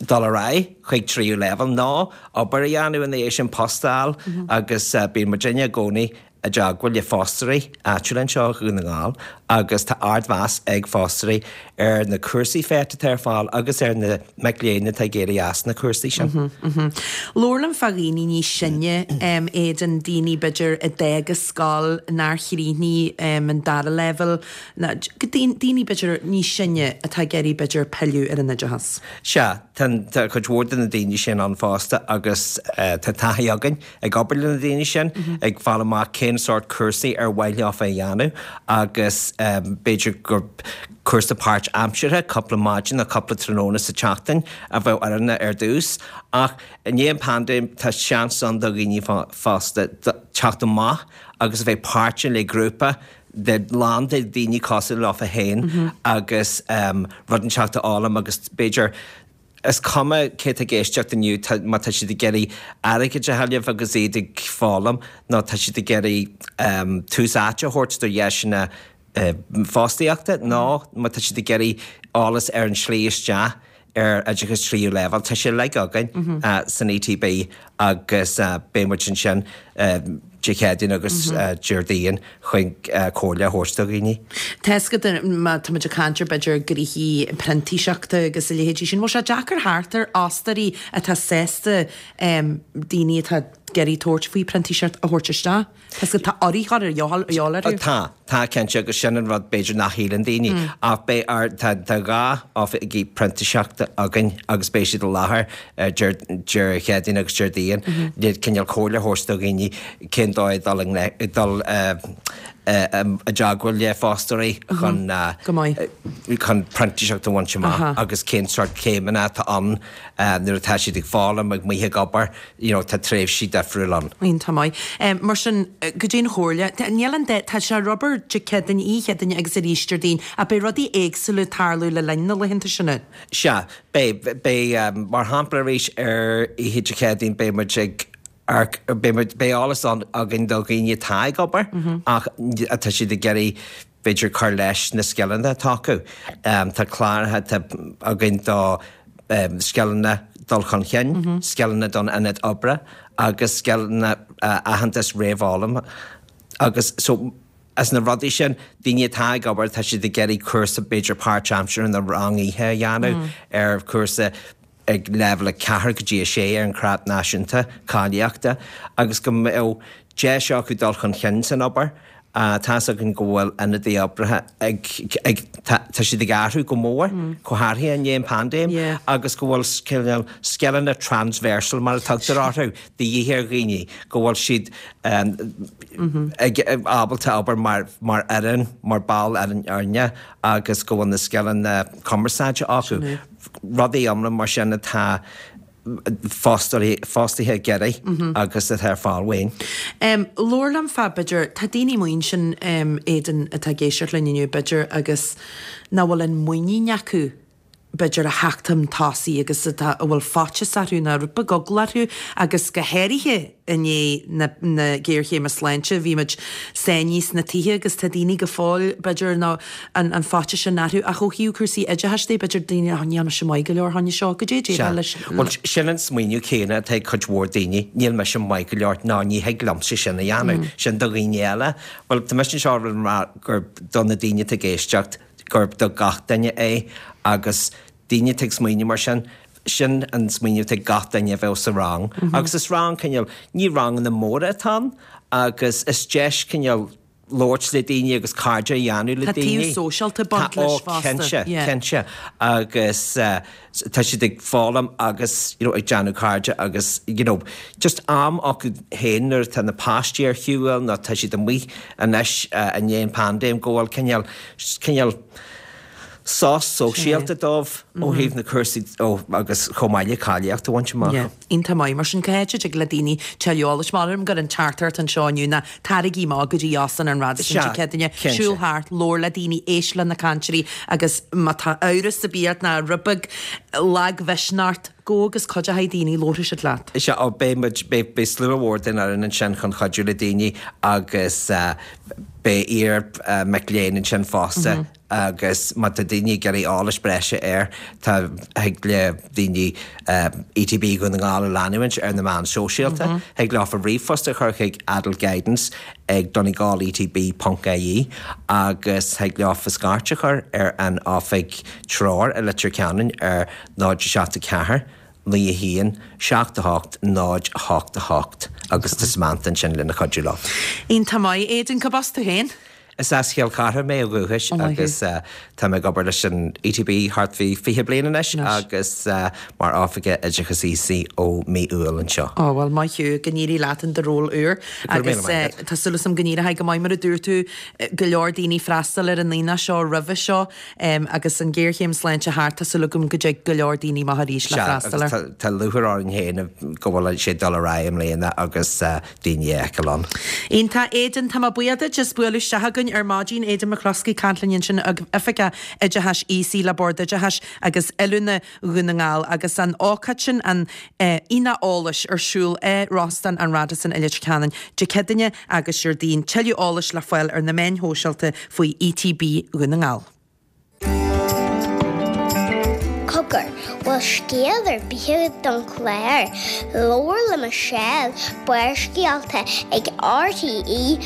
E: dul ar aghaidh chuig tríú leibhéal nó obair a dhéanamh ina dhiaidh sin, post a fháil agus bíonn muidinne i gcónaí i dteagmháil le fostóirí áitiúla anseo i Dhún na nGall agus tá ardmheas ag fostóirí ar na cúrsaí FET atá ar fáil agus ar na mic léinn atá ag éirí as na cúrsaí sin.
A: Labhair liom fá dhaoine níos sine, Aidan, daoine b'fhéidir a d'fhág an scoil, nár chríochnaigh an dara leibhéal, daoine b'fhéidir níos sine atá ag iarraidh b'fhéidir pilleadh ar an oideachas.
E: Sea, tá cuid mhór de na daoine sin ann fosta agus tá taithí againn ag obair le na daoine sin, ag fáil amach cén sórt cúrsaí ar mhaith leofa a dhéanamh agus b'fhéidir gur cúrsa páirt-aimseartha, cúpla maidin nó cúpla tráthnóna sa tseachtain a bheadh oiriúnach ar dtús. Ach i ndiaidh an paindéim tá seans ann do dhaoine fásta teacht amach agus a bheith páirteach le grúpa de lán de daoine cosúil leofa féin agus rud inteacht a fhoghlaim agus b'fhéidir Is cuma cé atá ag éisteacht inniu, má tá siad ag iarraidh airgead a thuilleamh agus iad ag foghlaim nó tá siad ag iarraidh tús áite a thabhairt do dheiseanna fostaíochta nó má tá siad ag iarraidh eolas ar an slí isteach ar oideachas tríú leibhéal, tá sé uilig againn san ETB agus beidh muid ansin. Dé Céadaoin agus Déardaoin chun comhairle a thabhairt do dhaoine.
A: Tá 'fhios agat má tá muid ag caint ar b'fhéidir gnoithí printíseachta agus a leithéidí sin, bhfuil sé deacair theacht ar fhostóirí atá sásta daoine atá ag iarraidh tabhairt faoi printíseacht a thabhairt isteach? Tá 'fhios agat tá urchar ar dhíobháil orthu.
E: Tá, tá cinnte agus sin an rud b'fhéidir nach shíleann daoine ach beidh ár, tá 2 oifigigh printíseachta againn agus beidh siad i láthair Dé Céadaoin agus Déardaoin le cineál comhairle a thabhairt do dhaoine cén dóigh dul i ngleic, dul i dteagmháil le fostóirí chun chun printíseacht a bhaint amach agus cén sórt céimeanna atá ann nuair atá siad ag foghlaim, amuigh ag obair, you know, tá tréimhsí difriúil ann.
A: Iontach maith. Mar sin, goidé an chomhairle, níl an, tá sé ar obair Dé Céadaoin, Oíche Chéadaoin agus arís Déardaoin, ach beidh rudaí éagsúla ag tarlú le linn na laethanta sin.
E: Sea. Beidh, beidh, mar shampla arís ar oíche Dé Céadaoin beidh muid ag amharc, beidh muid, beidh eolas ann againn do dhaoine atá ag obair ach atá siad ag iarraidh b'fhéidir cur leis na scileanna atá acu. Tá cláracha againn do scileanna dul chun chinn, scileanna don ionad oibre agus scileanna aitheantas réamhfhoghlama agus so. As na rudaí sin, daoine atá ag obair, tá siad ag iarraidh cúrsa b'fhéidir páirtaimseartha nó rang oíche a dhéanamh ar chúrsa ag leibhéal 4 go dtí 6 ar an Chreat Náisiúnta Cáilíochta agus go mbeadh deis acu dul chun cinn san obair. Tá's againn go bhfuil ionadaí oibrithe ag, ag, tá siad ag athrú go mór, go háirithe i ndiaidh an phaindéim agus go bhfuil cineál scileanna transversal mar a tugtar orthu de dhíth ar dhaoine, go bhfuil siad ag, ábalta obair mar, mar fhoireann, mar ball fhoirne agus go bhfuil na scileanna cumarsáide acu. Rudaí iomlán mar sin atá fostaithe ag iarraidh agus atá ar fáil uainn.
A: Labhair liom fá, b'fhéidir, tá daoine amuigh ansin, Aidan, atá ag éisteacht linn inniu, b'fhéidir, agus nach bhfuil an muinín acu, b'fhéidir, a theacht chun tosaigh agus atá, a bhfuil faitíos orthu nó rud beag eagla orthu agus go háirithe i ndiaidh na, na géarchéime sláinte, bhí muid sáinnithe sna tithe agus tá daoine go fóill, b'fhéidir, nó an, an faitíos sin orthu. Ach ó thaobh cúrsaí oideachais de, b'fhéidir daoine, oh, níl mise maith go leor fá choinne seo, goidé a déarfá leis?
E: Bhuel, sin an smaoineamh céanna atá ag cuid mhór daoine, níl mise maith go leor, nó ní thig liomsa sin a dhéanamh, sin do dhaoine eile. Bhuel, tá mise anseo le rá gurb do na daoine atá ag éisteacht, gurb do gach duine é agus daoine atá ag smaoineamh mar sin, sin an smaoineamh atá ag gach duine a bheadh sa rang. Agus is rang cineál, ní ranganna móra atá ann agus is deis cineál labhairt le daoine agus cairde a dhéanamh le
A: daoine. Tá taobh sóisialta ag baint leis fosta.
E: Ó, cinnte, cinnte. Agus tá siad ag foghlaim agus you know ag déanamh cairde agus you know just am acu féin nuair atá na páistí ar shiúl nó tá siad amuigh anois i ndiaidh an paindéim go bhfuil cineál, cineál sos sóisialta dóibh ó thaobh na cúrsaí ó agus chomh maith le cáilíocht a bhaint amach.
A: Yeah, iontach maith. Mar sin, cá háit a dtig le daoine tuilleadh eolais? Molaim gur an teachtaireacht anseo inniu ná taraigí amach go dtí Óstán an Radisson Dé Céadaoine, siúl thart, labhair le daoine, éist le na cainteoirí agus má tá amhras ar bith ort nó rud beag lagmhisneach ort, gabh agus cuideoidh daoine, labharfaidh siad leat.
E: Sea, ó, beidh muid, beidh, beidh slua mhór den fhoireann ansin chun cuidiú le daoine agus beidh iar mic léinn ansin fosta agus má tá daoine ag iarraidh eolas breise air, tá, thig le daoine ETB Dhún na nGall a leanúint ar na meáin shóisialta, thig leofa ríomhphost a chur chuig adultguidance ag donegaletb ponc ie agus thig leofa scairt a chur ar an oifig treoir i Leitir Ceanainn ar 0 7 4 9 1 7 8 0 8 8 agus tá Samantha ansin lena chuidiú leo.
A: Iontach maith. Aidan, cárb as tú féin?
E: Is as Chill Chartha mé ó dhúchas agus tá mé ag obair leis an ETB thart faoi 20 bliain anois agus mar Oifigeach Oideachais Aosaigh ó mí Iúil anseo.
A: Ó bhuel, maith thú, go n-éirí leat in do ról úr agus tá súil agam go n-éireoidh go maith mar a dúirt tú, go leor daoine freastal ar an aonach seo roimhe seo Agus an ghéarchéim sláinte thart, tá súil agam go dtig go leor daoine amach arís le freastal air.
E: Sea, agus tá lúcháir orainn féin go bhfuil sé ag dul ar aghaidh i mbliana agus daoine a fheiceáil ann.
A: Iontach, Aidan, tá mé buíoch duit as bualadh isteach chugainn ar maidin. Aidan McCloskey ag caint linn ansin, Oifigeach Oideachais Aosaigh le Bord Oideachais agus Oiliúna Dhún na nGall agus an ócáid sin, an Aonach Eolais ar siúl i Óstán an Radisson i Leitir Ceanainn Dé Céadaoine agus Déardaoin. Tuilleadh eolais le fáil ar na meáin shóisialta faoi ETB Dhún na nGall.
C: Cogar, bhfuil scéal ar bith agat don chlár? Labhair le Michelle, Barrscéalta ag RTE.ie.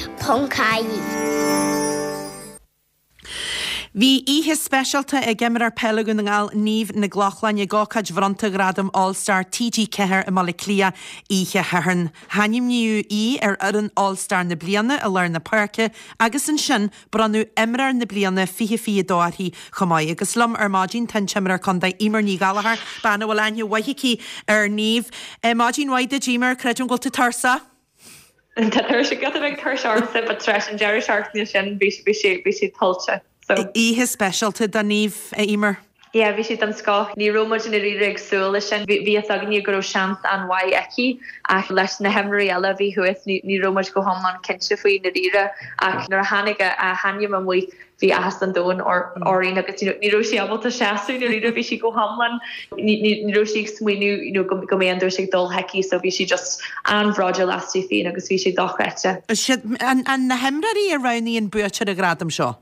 A: Bhí oíche speisialta ag imreoir peile Dhún na nGall, Niamh Nic Lochlainn, ag ócáid bhronnta Ghradam All Star TG4 i mBaile Átha Cliath oíche Shathairn. Hainmníodh í ar fhoireann All Star na bliana i lár na páirce agus ansin bronnadh Imreoir na Bliana 2022 uirthi chomh maith. Agus liom ar maidin tá an t-imreoir contae Eimear Ní Ghallchóir, bean a bhfuil aithne mhaith aici ar Niamh. Maidin mhaith duit Eimear, creidim go bhfuil tú tuirseach?
F: Tá tuirse, giota beag tuirse ormsa but tar éis an deireadh seachtaine sin bhí bhí sé bhí sé tuillte
A: so. Oíche speisialta do Niamh, a Eimear.
F: Yeah bhí sé den scoth. Ní raibh muid i ndáiríre ag súil leis sin. Bhí bhí fhios againne go raibh seans an-mhaith aici ach leis na himreoirí eile a bhí thuas ní ní raibh muid go hiomlán cinnte faoi i ndáiríre ach nuair a tháinig a a hainm amuigh bhí áthas an domhain orainn agus you know ní raibh sí ábalta seasamh i ndáiríre bhí sí go hiomlán ní ní ní raibh sí ag smaoineamh you know go go mbeadh an duais ag dul chuici so bhí sí just an-bhródúil aisti féin agus bhí sé dochreidte.
A: Is iad an an na himreoirí a roghnaíonn buaiteoir an ghradaim seo?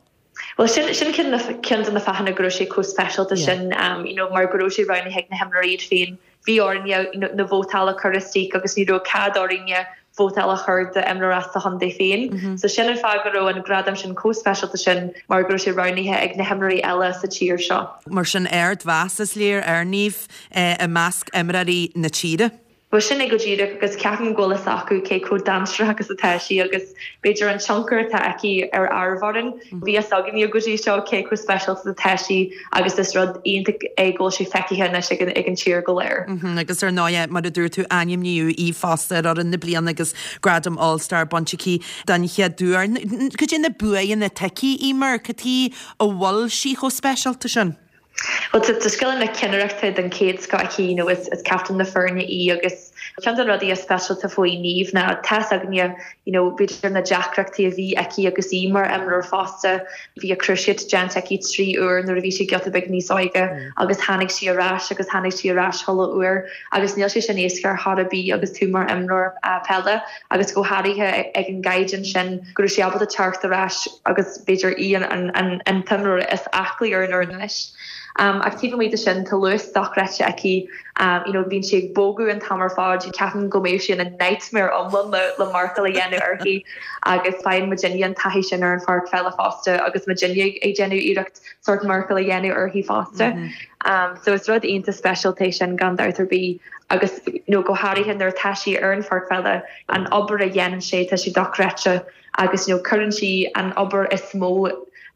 F: Bhuel sin sin ceann na ceann de na fáthanna go raibh sé chomh speisialta sin um you know mar go raibh sé roghnaithe ag na himreoirí iad féin. Bhí orainne you know na vótáil a chur istigh agus ní raibh cead orainne. Vótáil a chur d'imreoir as do chontae féin. So sin an fáth go raibh an gradam sin chomh speisialta sin mar go raibh sé roghnaithe ag na himreoirí eile sa tír seo.
A: Mar sin ardmheas, is léir, ar Niamh i measc imreoirí na tíre.
F: Bhuel sin é go díreach agus ceapaim go bhfuil fhios acu cé chomh dainséarach agus atá sí agus b'fhéidir an tionchar atá aici ar ár bhfoireann. Bhí fhios againne go dtí seo cé chomh speisialta atá sí agus is rud iontach é go bhfuil sé feicthe anois ag an tír go léir.
A: Agus ar ndóigh, mar a dúirt tú, ainmníodh í fosta ar fhoireann na bliana agus gradam All Star bainte aici den chéad uair. Cad é na buanna atá aici, Eimear? Cad chuige a bhfuil sí chomh speisialta sin?
F: Bhuel, tá scileanna cinnireachta den chéad scoth aici, you know, is captaen na foirne í agus ceann de na rudaí is speisialta faoi Niamh ná tá fhios againne, you know, b'fhéidir na deacrachtaí a bhí aici agus í mar imreoir fosta. Bhí a cruciate déanta aici 3 uair nuair a bhí sí giota beag níos óige agus tháinig sí ar ais agus tháinig sí ar ais chuile uair agus níl sé sin éasca ar chor ar bith agus tú mar imreoir peile agus go háirithe ag an gcaighdeán sin go raibh sí ábalta teacht ar ais agus b'fhéidir í an an t-imreoir is aclaí ar an fhoireann anois. Ach taobh amuigh de sin, tá luas dochreidte aici, you know bíonn sí ag bogadh an t-am ar fad, ceapaim go mbeadh sí ina nightmare iomlán le le marcáil a dhéanamh uirthi agus faigheann muidinne an taithí sin ar an pháirc pheile fosta agus muidinne ag déanamh iarracht sórt marcáil a dhéanamh uirthi fosta. So is rud iontach speisialta é sin gan dabht ar bith agus you know go háirithe nuair atá sí ar an pháirc pheile, an obair a dhéanann sé, tá sé dochreidte. agus you know cuireann sí an obair is mó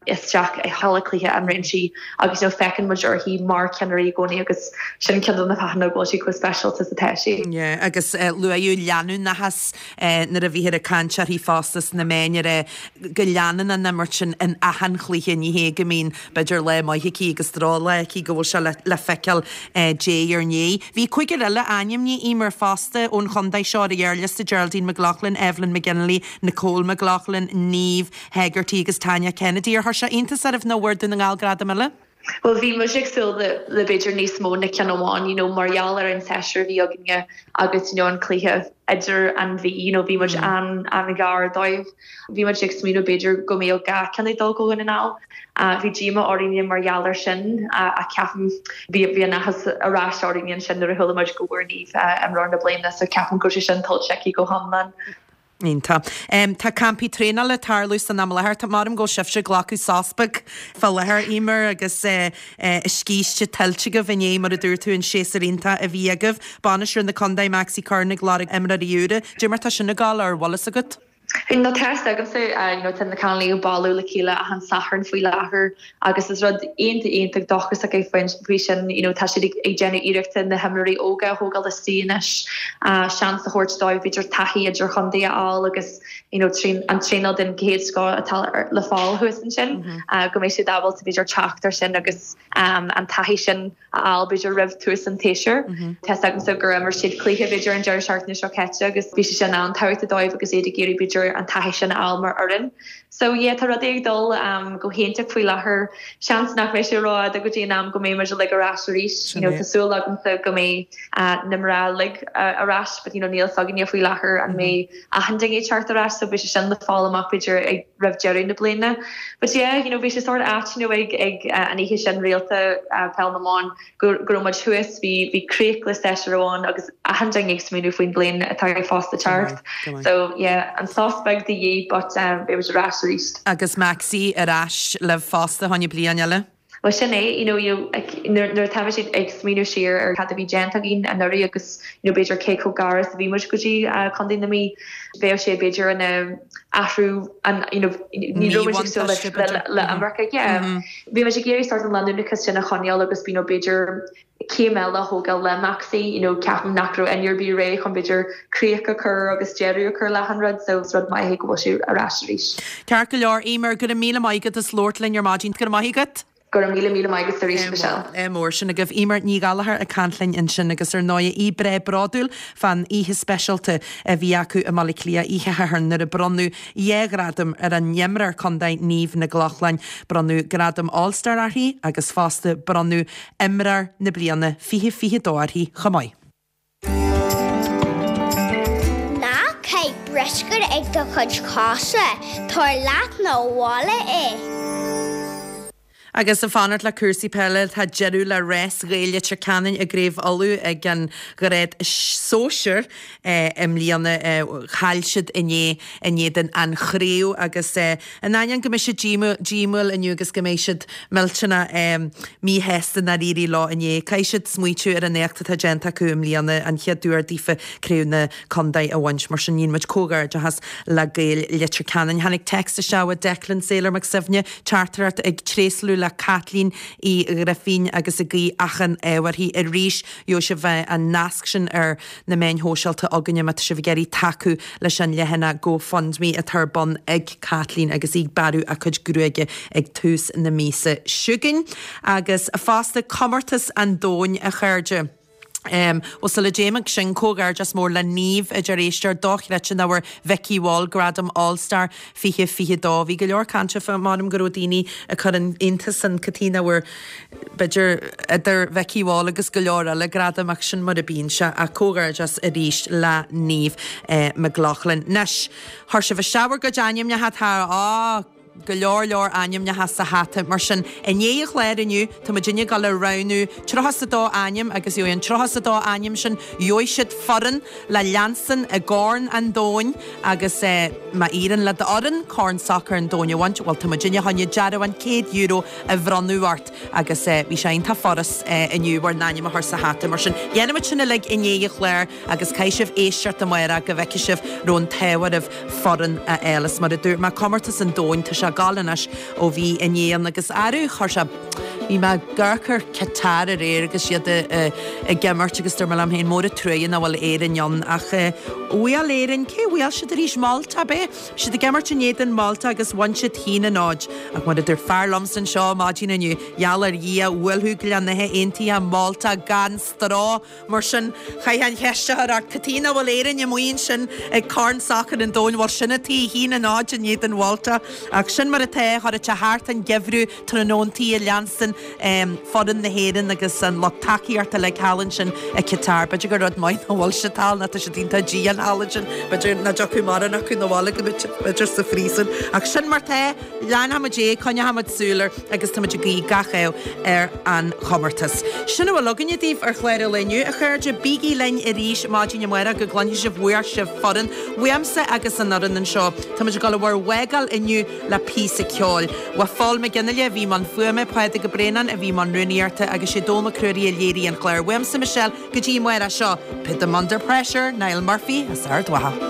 F: isteach i chuile cluiche a imríonn sí agus you know féachann muid uirthi mar cheannaire i gcónaí agus sin ceann de na fáthanna go bhfuil sí chomh speisialta is atá sí.
A: Yeah, agus luaíodh leanúnachas nuair a bhíthear ag caint uirthi fosta sna meáin ar go leanann an imirt sin in achan chluiche, ní hé go mbíonn b'fhéidir lá maith aici agus drochlá aici go bhfuil sé le feiceáil diaidh ar ndiaidh. Bhí cúigear eile ainmnithe, Eimear, fosta ón chontae seo ar an ghearrliosta, Geraldine McLaughlin, Evelyn McGinley, Nicole McLaughlin, Niamh Hegarty agus Tanya Kennedy. Ar chuir sé iontas oraibh nach bhfuair Dún na nGall gradam eile?
F: Bhuel, bhí muid ag súil le le b'fhéidir níos mó na ceann amháin, you know, mar gheall ar an séasúr a bhí againne agus, you know, an cluiche idir an Mhí, you know, bhí muid an an-ghar dóibh. Bhí muid ag smaoineamh b'fhéidir go mbeadh dhá ceann ag dul go Dhún na nGall. Bhí díomá orainne mar gheall air sin ach ceapaim bhí bhí an áthas ar ais orainne ansin nuair a chuala muid go bhfuair Niamh imreoir na bliana so ceapaim go raibh sé sin tuillte aici go hiomlán.
A: Iontach. Tá campaí traenála ag tarlú san am i láthair. Tá measaim go bhfuil sibhse ag glacadh sos beag fá láthair, Eimear, agus a scíste tuillte agaibh i ndiaidh, mar a dúirt tú, an séasúr iontach a bhí agaibh. Bainisteoir na contae, Maxi Curran, ag lorg imreoirí úra. Dé mar tá sin ag gabháil, ar bhfuil fhios agat?
F: No tá fhios agamsa, you know, tá na cailíní ag bailiú le chéile achan Satharn faoi láthair agus is rud iontach iontach dóchasach é faoi sin, you know, tá siad ag déanamh iarrachta na himreoirí óga a thógáil istigh anois, seans a thabhairt dóibh b'fhéidir taithí idirchontae a fháil agus, you know, an traenáil den chéad scoth atá le fáil thuas ansin, go mbeidh siad ábalta b'fhéidir teacht ar sin agus an taithí sin a fháil b'fhéidir roimh tús an tséasúir. Tá fhios agamsa gur imir siad cluiche b'fhéidir an deireadh seachtaine seo caite agus bhí sé sin an-tábhachtach dóibh agus iad ag iarraidh b'fhéidir an taithí sin a fháil mar fhoireann. So yeah tá rudaí ag dul go hiontach faoi láthair. Seans nach mbeidh sé rófhada go dtí an am go mbeidh muid uilig ar ais arís. You know tá súil agamsa go mbeidh na mná uilig ar ais but you know níl fhios againne faoi láthair an mbeidh achan duine ag teacht ar ais so beidh sé sin le fáil amach b'fhéidir ag roimh deireadh na bliana. But yeah you know bhí sé sort ait you know ag ag an oíche sin réalta peil na mban go go raibh muid thuas bhí bhí críoch le séasúr amháin agus achan duine ag smaoineamh faoin bhliain atá fós le teacht. So yeah an sos beag de dhíth but beidh muid ar ais arís.
A: Agus Maxi ar ais libh fosta fá choinne bliain eile.
F: Bhuel sin é, you know, you know, like, nuair, nuair atá muid ag, ag smaoineamh siar ar cad a bhí déanta againn anuraidh agus, you know, b'fhéidir cé chomh gar is a bhí muid go dtí uh, Contae na Mí, bheadh sé b'fhéidir ina athrú an, you know, ní raibh muid ag súil le, le, le iomarca, yeah. Bhí muid ag iarraidh sort an leanúnachas sin a choinneáil agus, you know, b'fhéidir céim eile a thógáil le Maxi, you know, ceapaim nach raibh duine ar bith réidh chun b'fhéidir críoch a chur agus deireadh a chur le han rud, so is rud maith é go bhfuil sé ar ais arís.
A: Ceart go leor, Eimear, go raibh míle maith agat as labhairt linn ar maidin. Go raibh maith agat.
F: Go raibh míle míle maith agat arís, Michelle.
A: Ádh mór sin agaibh. Eimear Ní Ghallchóir ag caint linn ansin agus ar ndóigh í breá bródúil fán oíche speisialta a bhí acu i mBaile Átha Cliath oíche Shathairn nuair a bronnadh dhá ghradam ar an imreoir contae Niamh Nic Lochlainn. Bronnadh gradam All Star uirthi agus fosta bronnadh Imreoir na Bliana 2022 uirthi chomh maith.
C: Ná caith bruscar ag do chuid cosa, tabhair leat 'na bhaile é.
A: Agus ag fanacht le cúrsaí peile, tá deireadh le rás Ghaeil Leitir Ceanainn i gCraobh Uladh ag an ghrád sóisir i mbliana. Chaill siad inné in éadan An Chraobh agus in ainneoin go mbeidh siad díomúil inniu agus go mbeidh siad millteanach míshásta nár éirigh leo inné, caithfidh siad smaoitiú ar an éacht atá déanta acu i mbliana, an chéad uair daofa craobh na contae a bhaint. Mar sin, níonn muid comhghairdeachas le Gaeil Leitir Ceanainn. Tháinig text isteach ó Declan Sailor Mac Suibhne. Teachtaireacht ag tréaslú le Caitlín Uí Ghrifín agus ag guí achan ádh uirthi. Arís, gheobhaidh sibh an nasc sin ar na meáin shóisialta againne má tá sibh ag iarraidh tacú leis an leathanach GoFundMe atá ar bun ag Caitlín agus í ag bearradh a cuid gruaige ag tús na míosa s'againn. Agus fosta, Comórtas an Domhain, a chairde. Bhuel, sula dtéim ag sin, comhghairdeas mór le Niamh, a deir éisteoir dochreidte nach bhfuair Vikki Wall gradam All Star 2022. Bhí go leor cainte fá, m'anam go raibh daoine ag cur an iontas an cad chuige nach bhfuair, b'fhéidir, idir Vikki Wall agus go leor eile gradam ach sin mar a bíonn sé. Ach comhghairdeas arís le Niamh McLaughlin. Anois, chuir sibh isteach bhur gcuid ainmneacha, tá, á, go leor leor ainmneacha sa hata. Mar sin, i ndiaidh an chláir inniu, tá muidinne ag dul a roghnú 32 is a ainm agus gheobhaidh an 32 ainm sin, gheobhaidh siad foireann le leanstan i gCorn an Domhain agus má éiríonn le d'fhoireann Corn Sacair an Domhain a bhaint, bhuel tá muidinne chun dearbhán €100 a bhronnadh ort agus bhí sé iontach furast inniu bhur n-ainm a chur sa hata. Mar sin, dhéanfaidh muid sin uilig i ndiaidh an chláir agus caithfidh sibh éisteacht amárach go bhfeicfidh sibh raibh an t-ádh oraibh foireann a fháil. Is mar a dúirt mé, Comórtas an Domhain, tá sé ag gabháil anois ó bhí inné ann agus arú chuir sé, bhí mé ag amharc ar Qatar aréir agus iad ag imirt agus dúirt mé liom féin, mór an truaighe nach bhfuil Éirinn ann ach bhuail Éirinn, cé a bhuail siad arís? Malta, ab é? Bhí siad ag imirt in éadan Malta agus bhain siad haon a náid. Ach mar a dúirt fear liomsa anseo maidin inniu, gheall ar Dhia, bhuailfeadh Gleann Átha Aontaithe Malta gan stró! Mar sin, chaithfeá an cheist a chur ort, cad chuige nach bhfuil Éirinn amuigh ansin ag Corn Sacair an Domhain? Bhuel, sin atá, 1-0 in éadan Mhálta. Ach sin mar atá, chuirfeadh sé thart an geimhreadh tráthnóntaí ag leanstan foireann na hÉireann agus an lucht tacaíochta uilig thall ansin i Qatar. B'fhéidir gur rud maith nach bhfuil siad thall, nó tá siad iontach dian thall ansin. B'fhéidir nach dtiocfadh mórán acu 'na bhaile go mb'fhéidir sa phríosún. Ach sin mar atá. Leanfaidh muid é, coinneoidh muid súil air agus tá muid ag guí gach ádh ar an chomórtas. Sin a bhfuil againne daoibh ar chlár an lae inniu, a chairde. Bígí linn arís maidin amárach go gcluinfidh sibh uaidh sibh foireann uaimse agus an fhoireann anseo. Tá muid ag dul bhur bhfágáil inniu le píosa ceoil. Uaidh Phól Mac Fhionnghaile a bhí i mbun fuaime, Pádraig Ó Braonáin a bhí i mbun rúnaíochta agus sé Dónall Mac Ruairí a léirigh an clár. Uaimse, Michelle, go dtí amárach seo. Put them under pressure, Niall Murphy as Ard Mhacha.